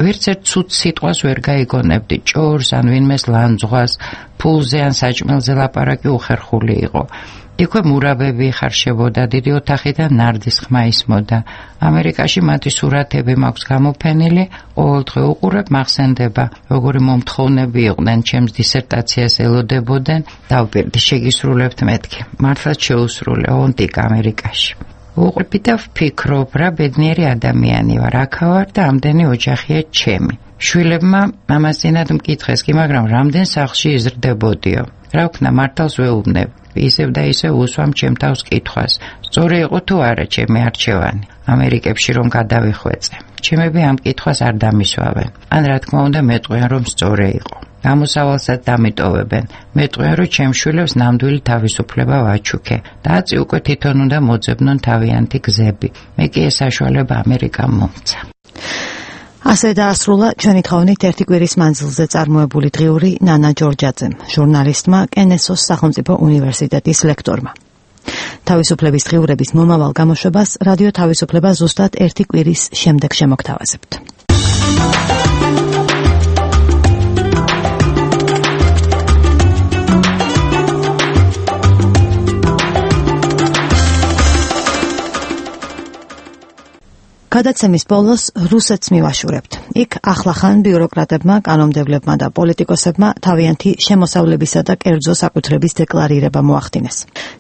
S5: ვერც ერთ ცუდ სიტყვას ვერ გაიგონებდი, ჭორს ან ვინმეს ლანძღვას, ფულზე ან საჭმელზე ლაპარაკი უხერხული იყო. იქვე მურაბები იხარშებოდა, დიდი ოთახიდან ნარდის ხმა ისმოდა. ამერიკაში მათი სურათები მაქვს გამოფენილი, ყოველდღე უყურებ, მახსენდება, როგორი მომთხოვნები იყვნენ, ჩემს დისერტაციას ელოდებოდნენ, დავპირდი, შეგისრულებთ მეთქი. მართლაც შეუსრულე, ონტიკ ამერიკაში. უყურები და ვფიქრობ, რა ბედნიერი ადამიანი ვარ, აქა ვარ და ამდენი ოჯახია ჩემი. შვილებმა მამასწინად მკითხეს კი, მაგრამ რამდენ სახლში იზრდებოდიო. რა ვქნა, მართალს ვეუბნებ. ისევ და ისევ უსვამ ჩემ თავს კითხვას. სწორი იყო თუ არა ჩემი არჩევანი ამერიკებში რომ გადავიხვეწე. ჩემები ამ კითხვას არ დამისვავენ. ან რა თქმა უნდა მეტყვიან რომ სწორი იყო. გამოსავალსაც დამიტოვებენ. მეტყვიან რომ ჩემ შვილებს ნამდვილი თავისუფლება ვაჩუქე. დაცი უკვე თვითონ უნდა მოძებნონ თავიანთი გზები. მე კი ეს საშუალება ამერიკამ მომცა.
S1: ასე დაასრულა ჩვენი თხოვნით ერთი კვირის მანძილზე წარმოებული დღიური ნანა ჯორჯაძემ, ჟურნალისტმა, კენესოს სახელმწიფო უნივერსიტეტის ლექტორმა. თავისუფლების დღიურების მომავალ გამოშვებას რადიო თავისუფლება ზუსტად ერთი კვირის შემდეგ შემოგთავაზებთ. გადაცემის ბოლოს რუსეთს მივაშურებთ. იქ ახლახან ბიუროკრატებმა, კანონმდებლებმა და პოლიტიკოსებმა თავიანთი შემოსავლებისა და კერძო საკუთრების დეკლარირება მოახდინეს.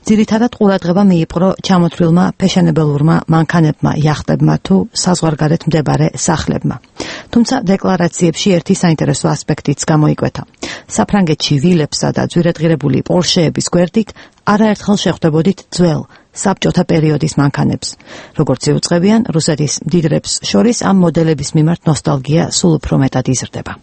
S1: ძირითადად ყურადღება მიიპყრო ჩამოთვლილმა ფეშენებელურმა მანქანებმა, იახტებმა თუ საზღვარგარეთ მდებარე სახლებმა. თუმცა დეკლარაციებში ერთი საინტერესო ასპექტიც გამოიკვეთა. საფრანგეთში ვილებსა და ძვირადღირებული პორშეების გვერდით არაერთხელ შეხვდებოდით ძველ საბჭოთა პერიოდის მანქანებს. როგორც იუწყებიან, რუსეთის მდიდრებს შორის ამ მოდელების მიმართ ნოსტალგია სულ უფრო მეტად იზრდება.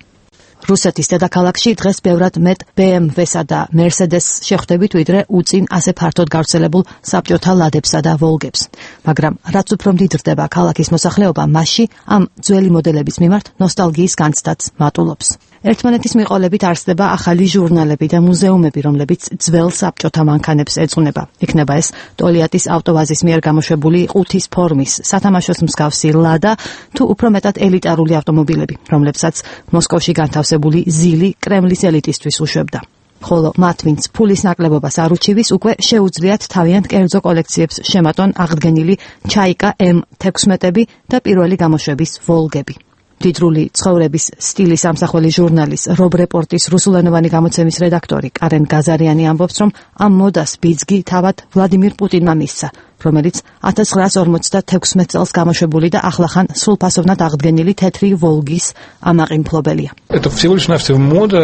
S1: რუსეთის დედაქალაქში დღეს ბევრად მეტ BMW-სა და Mercedes-ს შეხვდებით, ვიდრე უწინ ასე ფართოდ გავრცელებულ საბჭოთა ლადებსა და ვოლგებს. მაგრამ რაც უფრო მდიდრდება ქალაქის მოსახლეობა, მასში ამ ძველი მოდელების მიმართ ნოსტალგიის განცდაც მატულობს. ერთმანეთის მიყოლებით არსდება ახალი ჟურნალები და მუზეუმები, რომლებიც ძველ საბჭოთა მანქანებს ეძღვნება. იქნება ეს ტოლიატის ავტოვაზის მიერ გამოშვებული ყუთის ფორმის, სათამაშოს მსგავსი ლადა თუ უფრო მეტად ელიტარული ავტომობილები, რომლებსაც მოსკოვში განთავსებული ზილი კრემლის ელიტისთვის უშვებდა. ხოლო მათ, ვინც ფულის ნაკლებობას არ უჩივის, უკვე შეუძლიათ თავიანთ კერძო კოლექციებს შემატონ აღდგენილი ჩაიკა M16-ები და პირველი გამოშვების ვოლგები. დიდრული ცხოვრების სტილის ამსახველი ჟურნალის Rob Report-ის რუსულენოვანი გამოცემის რედაქტორი კარენ გაზარიანი ამბობს, რომ ამ მოდას ბიძგი თავად ვლადიმირ პუტინმა მისცა, რომელიც 1956 წელს გამოშვებული და ახლახან სრულფასოვნად აღდგენილი თეთრი ვოლგის ამაყიმფლობელია.
S11: Это всего лишь навсего мода,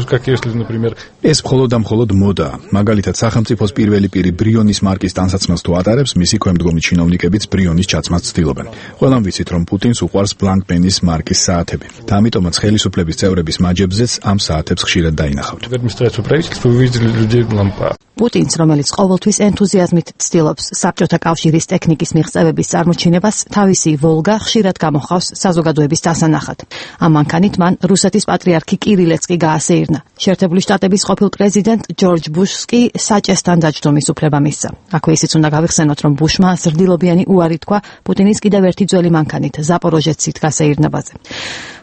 S11: как если, например, ეს მხოლოდ და მხოლოდ მოდაა. მაგალითად, სახელმწიფოს პირველი პირი ბრიონის მარკის ტანსაცმელს თუ ატარებს, მისი ქვემდგომი ჩინოვნიკებიც ბრიონის ჩაცმას ცდილობენ. ყველამ ვიცით, რომ პუტინს უყვარს ბლანკპენის მარკის საათები. და ამიტომაც ხელისუფლების წევრების მაჯებზეც ამ საათებს ხშირად დაინახავთ. პუტინს, რომელიც ყოველთვის ენთუზიაზმით ცდილობს საბჭოთა კავშირის ტექნიკის მიღწევების წარმოჩინებას, თავისი ვოლგა ხშირად გამოხავს საზოგადოების დასანახად. ამ მანქანით მან რუსეთის პატრიარქი კირილეც კი გაასეირნა. შეერთებული შტატების ყოფილ პრეზიდენტ ჯორჯ ბუშს კი საჭესთან დაჯდომის უფლება მისცა. აქვე ისიც უნდა გავიხსენოთ, რომ ბუშმა ზრდილობიანი უარი თქვა პუტინის კიდევ ერთი ძველი მანქანით, ზაპოროჟეცით გასეირნებაზე.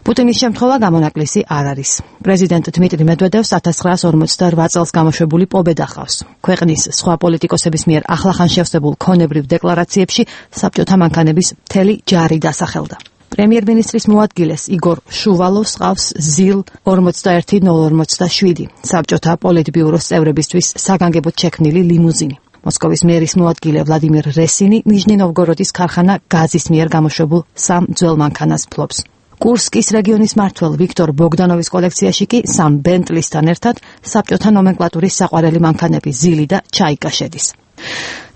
S11: პუტინის შემთხვევა გამონაკლისი არ არის. პრეზიდენტ დმიტრი მედვედევს 1948 წელს გამოშვებული პობედა ხავს. ქვეყნის სხვა პოლიტიკოსების მიერ ახლახან შევსებულ ქონებრივ დეკლარაციებში საბჭოთა მანქანების მთელი ჯარი დასახელდა. პრემიერ-მინისტრის მოადგილეს იგორ შუვალოვს ყავს ZIL 41047, საბჭოთა პოლიტბიუროს წევრებისთვის საგანგებოდ შექმნილი ლიმუზინი. მოსკოვის მერის მოადგილე ვლადიმირ რესინი ნიჟნი-ნოვგოროდის ქარხანა გაზის მიერ გამოშვებულ სამ ძველ მანქანას ფლობს. კურსკის რეგიონის მმართველ ვიქტორ ბოგდანოვის კოლექციაში კი სამ ბენტლისთან ერთად საბჭოთა ნომენკლატურის საყვარელი მანქანები ზილი და ჩაიკა შედის.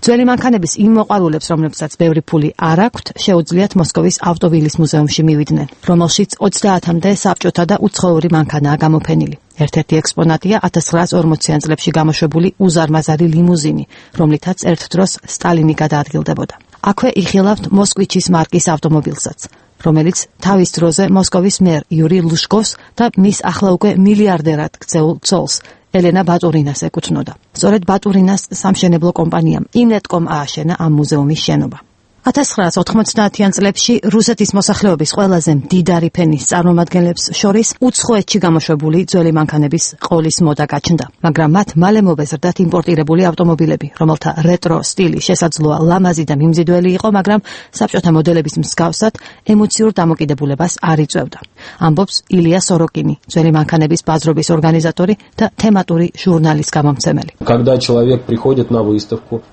S11: ძველი მანქანების იმ მოყვარულებს, რომლებსაც ბევრი ფული არ აქვთ, შეუძლიათ მოსკოვის ავტოვილის მუზეუმში მივიდნენ, რომელშიც 30-მდე საბჭოთა და უცხოური მანქანაა გამოფენილი. ერთ-ერთი ექსპონატია 1940-იან წლებში გამოშვებული უზარმაზარი ლიმუზინი, რომლითაც ერთ დროს სტალინი გადაადგილდებოდა. აქვე იხილავთ მოსკვიჩის მარკის ავტომობილსაც, რომელიც თავის დროზე მოსკოვის მერ იური ლუშკოვს და მის ახლა უკვე მილიარდერად ქცეულ ცოლს ელენა ბატურინას ეკუთვნოდა. სწორედ ბატურინას სამშენებლო კომპანიამ ინეტკომ ააშენა ამ მუზეუმის შენობა.
S1: 1990-იან წლებში რუსეთის მოსახლეობის ყველაზე მდიდარი ფენის წარმომადგენლებს შორის უცხოეთში გამოშვებული ძველი მანქანების ყოლის მოდა გაჩნდა, მაგრამ მათ მალე მობეზრდათ იმპორტირებული ავტომობილები, რომელთა რეტრო სტილი შესაძლოა ლამაზი და მიმზიდველი იყო, მაგრამ საბჭოთა მოდელების მსგავსად ემოციურ დამოკიდებულებას არ იწვევდა. ამბობს ილია სოროკინი, ძველი მანქანების ბაზრობის ორგანიზატორი და თემატური ჟურნალის გამომცემელი.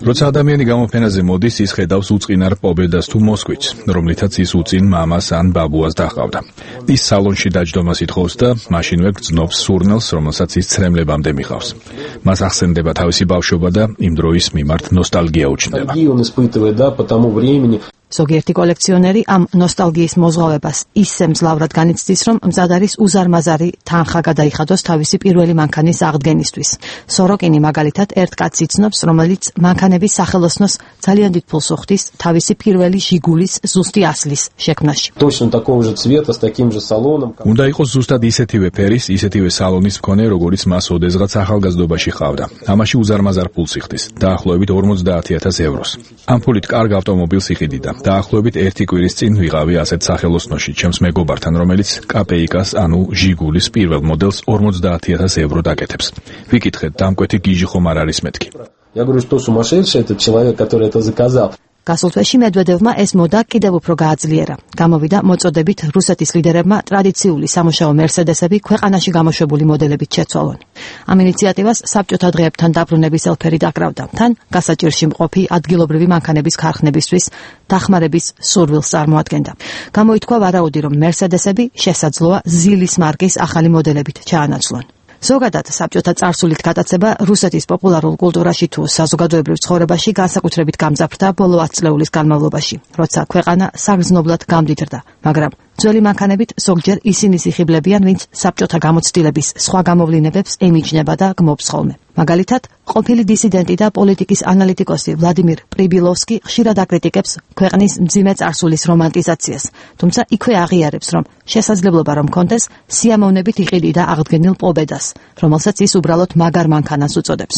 S11: როცა ადამიანი გამოფენაზე მოდის, ის ხედავს უწყინარ პობედას თუ მოსკვიც, რომლითაც ის უწინ მამას ან ბაბუას დაჰყავდა. ის სალონში დაჯდომას ითხოვს და მაშინვე გრძნობს სურნელს, რომელსაც ის ცრემლებამდე მიყავს. მას ახსენდება თავისი ბავშვობა და იმ დროის მიმართ ნოსტალგია უჩნდება.
S1: ზოგიერთი კოლექციონერი ამ ნოსტალგიის მოზღავებას ისე მძლავრად განიცდის, რომ მზად არის უზარმაზარი თანხა გადაიხადოს თავისი პირველი მანქანის აღდგენისთვის. სოროკინი მაგალითად ერთ კაცს იცნობს, რომელიც მანქანების სახელოსნოს ძალიან დიდ ფულს უხდის თავისი პირველი ჟიგულის ზუსტი ასლის შექმნაში.
S11: უნდა იყოს ზუსტად ისეთივე ფერის, ისეთივე სალონის მქონე, როგორიც მას ოდესღაც ახალგაზრდობაში ჰყავდა. ამაში უზარმაზარ ფულს იხდის, დაახლოებით 50,000 ევროს. ამ ფულით კარგ ავტომობილს იყიდიდა. დაახლოებით ერთი კვირის წინ ვიყავი ასეთ სახელოსნოში ჩემს მეგობართან, რომელიც კაპეიკას, ანუ ჟიგულის პირველ მოდელს 50,000 евро დაკეთებს. ვიკითხეთ, დამკვეთი გიჟი ხომ არ არის მეთქი.
S1: გასულ თვეში მედვედევმა ეს მოდა კიდევ უფრო გააძლიერა. გამოვიდა მოწოდებით რუსეთის ლიდერებმა ტრადიციული სამუშაო მერსედესები ქვეყანაში გამოშვებული მოდელებით შეცვალონ. ამ ინიციატივას საბჭოთა დღეებთან დაბრუნების ელფერი დაკრავდა. თან გასაჭირში მყოფი ადგილობრივი მანქანების ქარხნებისთვის დახმარების სურვილს წარმოადგენდა. გამოითქვა ვარაუდი, რომ მერსედესები შესაძლოა ზილის მარკის ახალი მოდელებით ჩაანაცვლონ. ზოგადად საბჭოთა წარსულით გატაცება რუსეთის პოპულარულ კულტურაში თუ საზოგადოებრივ ცხოვრებაში განსაკუთრებით გამძაფრდა ბოლო 10 წლეულის განმავლობაში, როცა ქვეყანა საგრძნობლად გამდიდრდა, მაგრამ ძველი მანქანებით ზოგჯერ ისინი იხიბლებიან, ვინც საბჭოთა გამოცდილების სხვა გამოვლინებებს ემიჯნება და გმობს ხოლმე. მაგალითად, ყოფილი დისიდენტი და პოლიტიკის ანალიტიკოსი ვლადიმირ პრიბილოვსკი ხშირად აკრიტიკებს ქვეყნის მძიმე წარსულის რომანტიზაციას, თუმცა იქვე აღიარებს, რომ შესაძლებლობა რომ კონდეს სიამოვნებით იყიდიდა აღდგენილ პობედას, რომელსაც ის უბრალოდ მაგარ მანქანას უწოდებს.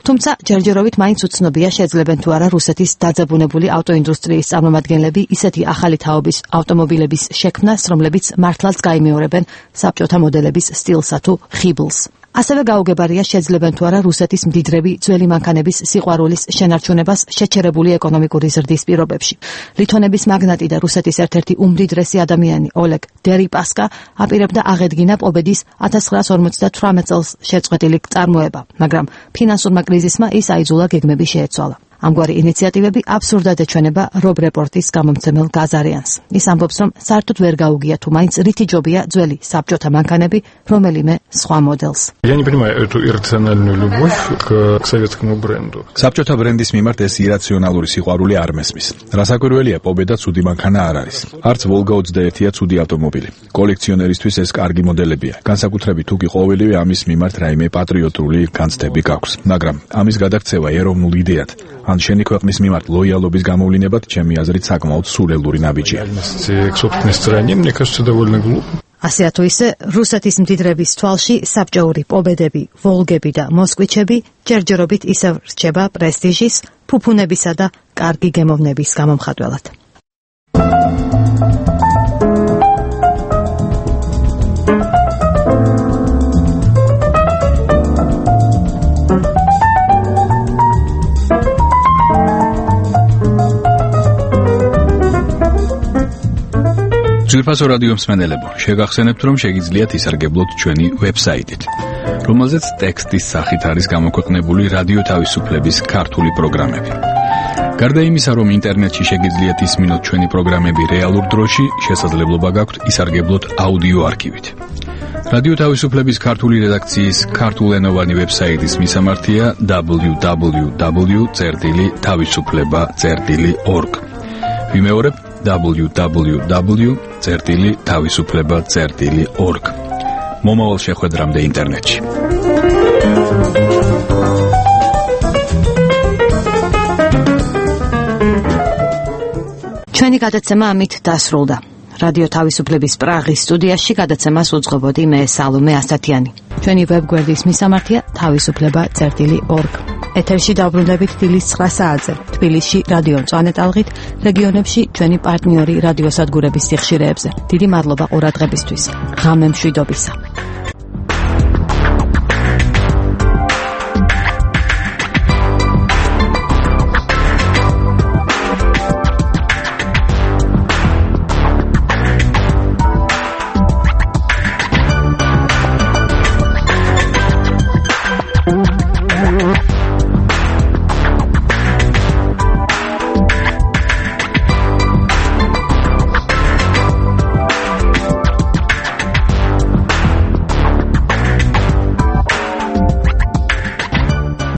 S1: თუმცა ჯერჯერობით მაინც უცნობია შეძლებენ თუ არა რუსეთის დაძაბუნებული ავტოინდუსტრიის წარმომადგენლები ისეთი ახალი თაობის ავტომობილების შექმნას, რომლებიც მართლაც გაიმეორებენ საბჭოთა მოდელების სტილსა თუ ხიბლს. ასევე გაუგებარია შეძლებენ თუ არა რუსეთის მდიდრები ძველი მანქანების სიყვარულის შენარჩუნებას შეჩერებული ეკონომიკური ზრდის პირობებში. ლითონების მაგნატი და რუსეთის ერთ-ერთი უმდიდრესი ადამიანი ოლეგ დერიპასკა აპირებდა აღედგინა პობედის 1958 წელს შეწყვეტილი წარმოება, მაგრამ ფინანსურმა კრიზისმა ის აიძულა გეგმები შეეცვალა. ამგვარი ინიციატივები აბსურდად ეჩვენება რობ რეპორტის გამომცემელ გაზარიანს. ის ამბობს, რომ საერთოდ ვერ გაუგია თუ მაინც რითი ჯობია ძველი საბჭოთა მანქანები რომელიმე სხვა მოდელს.
S9: Я не понимаю эту иррациональную любовь к советскому бренду.
S11: საბჭოთა ბრენდის მიმართ ეს ირაციონალური სიყვარული არ მესმის. რასაკვირველია, პობედა ცუდი მანქანა არ არის. არც ვოლგა 21-ია ცუდი ავტომობილი. კოლექციონერისთვის ეს კარგი მოდელებია. განსაკუთრებით თუ კი ყოველივე ამის მიმართ რაიმე პატრიოტული განცდები გაქვს. მაგრამ ამის გადაქცევა ეროვნულ იდეად ან შენი ქვეყნის მიმართ ლოიალობის გამოვლინებად ჩემი აზრით საკმაოდ სულელური ნაბიჯია.
S1: ასე თუ ისე რუსეთის მდიდრების თვალში საბჭოური პობედები, ვოლგები და მოსკვიჩები ჯერჯერობით ისევ რჩება პრესტიჟის, ფუფუნებისა და კარგი გემოვნების გამომხატველად.
S11: ძვირფასო რადიო მსმენელებო, შეგახსენებთ, რომ შეგიძლიათ ისარგებლოთ ჩვენი ვებსაიტით, რომელზეც ტექსტის სახით არის გამოქვეყნებული რადიო თავისუფლების ქართული პროგრამები. გარდა იმისა, რომ ინტერნეტში შეგიძლიათ ისმინოთ ჩვენი პროგრამები რეალურ დროში, შესაძლებლობა გაქვთ ისარგებლოთ აუდიო არქივით. რადიო თავისუფლების ქართული რედაქციის ქართულენოვანი ვებსაიტის მისამართია www.tavisufleba.org. ვიმეორებ www.tavisufleba.org. მომავალ შეხვედრამდე ინტერნეტში.
S1: ჩვენი გადაცემა ამით დასრულდა. რადიო თავისუფლების პრაღის სტუდიაში გადაცემას უძღვებოდი მე სალომე ასათიანი. ჩვენი ვებგვერდის მისამართია tavisufleba.org. ეთერში დავბრუნდებით დილის 9 საათზე. თბილისში რადიო მწვანე ტალღით, რეგიონებში ჩვენი პარტნიორი რადიოსადგურების სიხშირეებზე. დიდი მადლობა ყურადღებისთვის. ღამე მშვიდობისა.